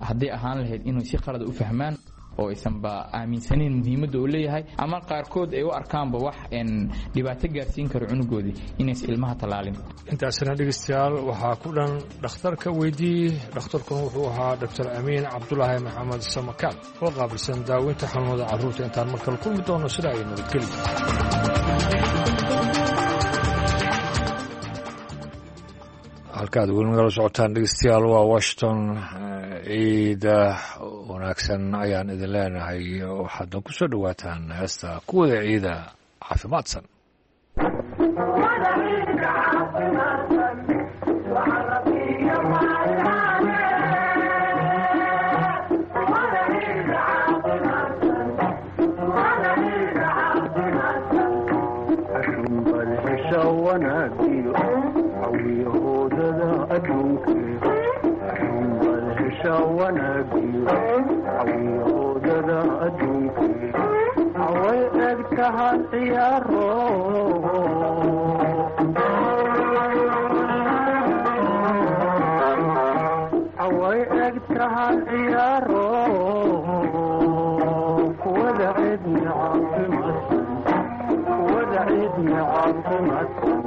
hadday ahaan lahayd inuu si qalada u fahmaan oo aysanba aaminsanayn muhiimadda uu leeyahay, ama qaarkood ay u arkaanba wax dhibaato gaarsiin karo cunugoodii, inaysan ilmaha tallaalin. Intaasina dhegeystayaal waxaa ku dhan dhakhtarka weydii. Dhakhtarkuna wuxuu ahaa Doctor Amiin Cabdulaahi Maxamed Samakaal oo qaabilsan daaweynta xanuunada carruurta. Intaan markale kulmi doono, sida ay nabadgeli. Halkaad weli nagala socotaan dhegeystayaal waa Washington. Ciida wanaagsan ayaan idin leenahay. Waxaadna ku soo dhowaataan heesta kuwada ciida caafimaadsan. Away egtahan ciyaaro, away egtahan ciyaaro, kuwada cidni caafimaadsan, kuwada cidni caafimaadsan.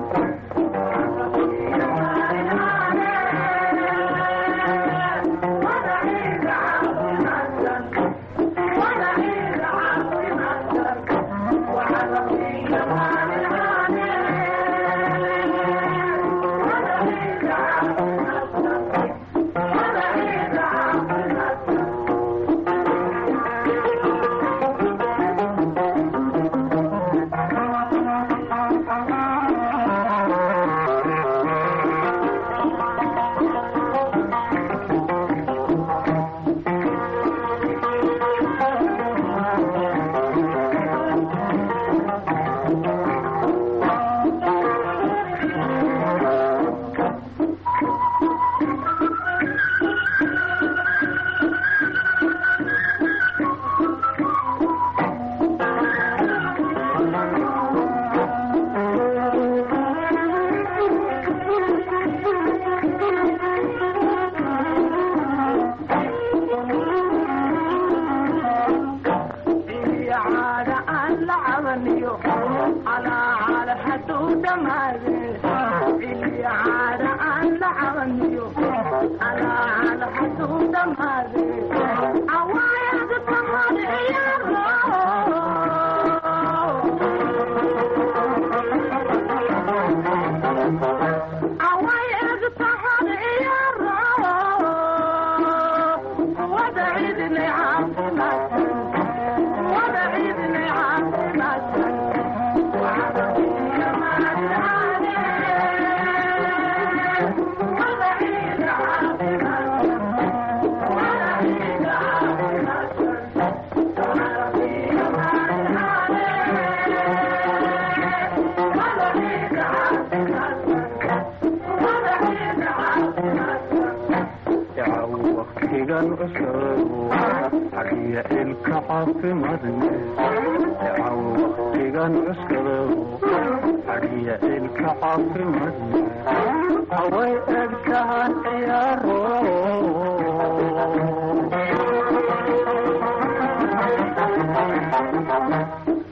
Away egtahan ciyaaro,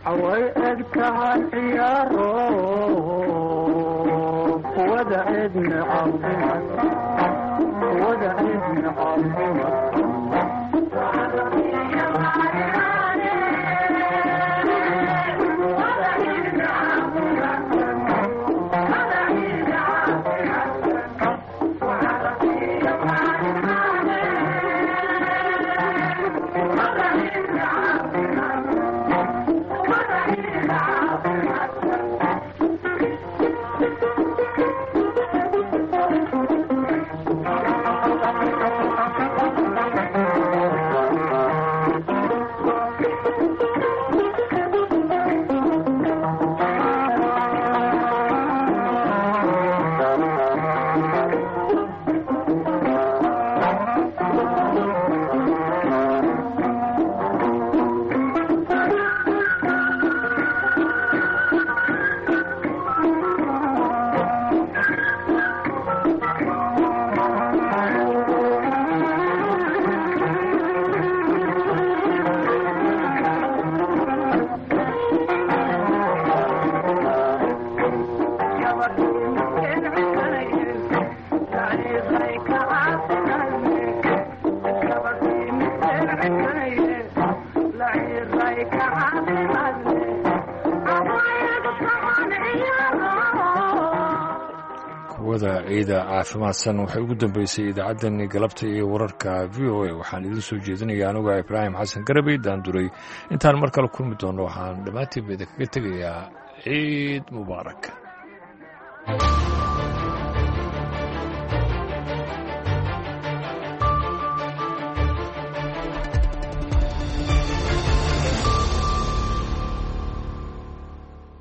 away egtahan ciyaaro, kuwada cidni caafimaad, kuwada cidni caafimaad. Kuwada ciida caafimaadsan waxay ugu dambeysay idaacaddani galabta iyo wararka v o a. Waxaan idiin soo jeedinaya anuga Ibraahim Xasan Garabey Daanduray. Intaan mar kale kulmi doonno, waxaan dhammaantiinba idinkaga tegayaa ciid mubaarak.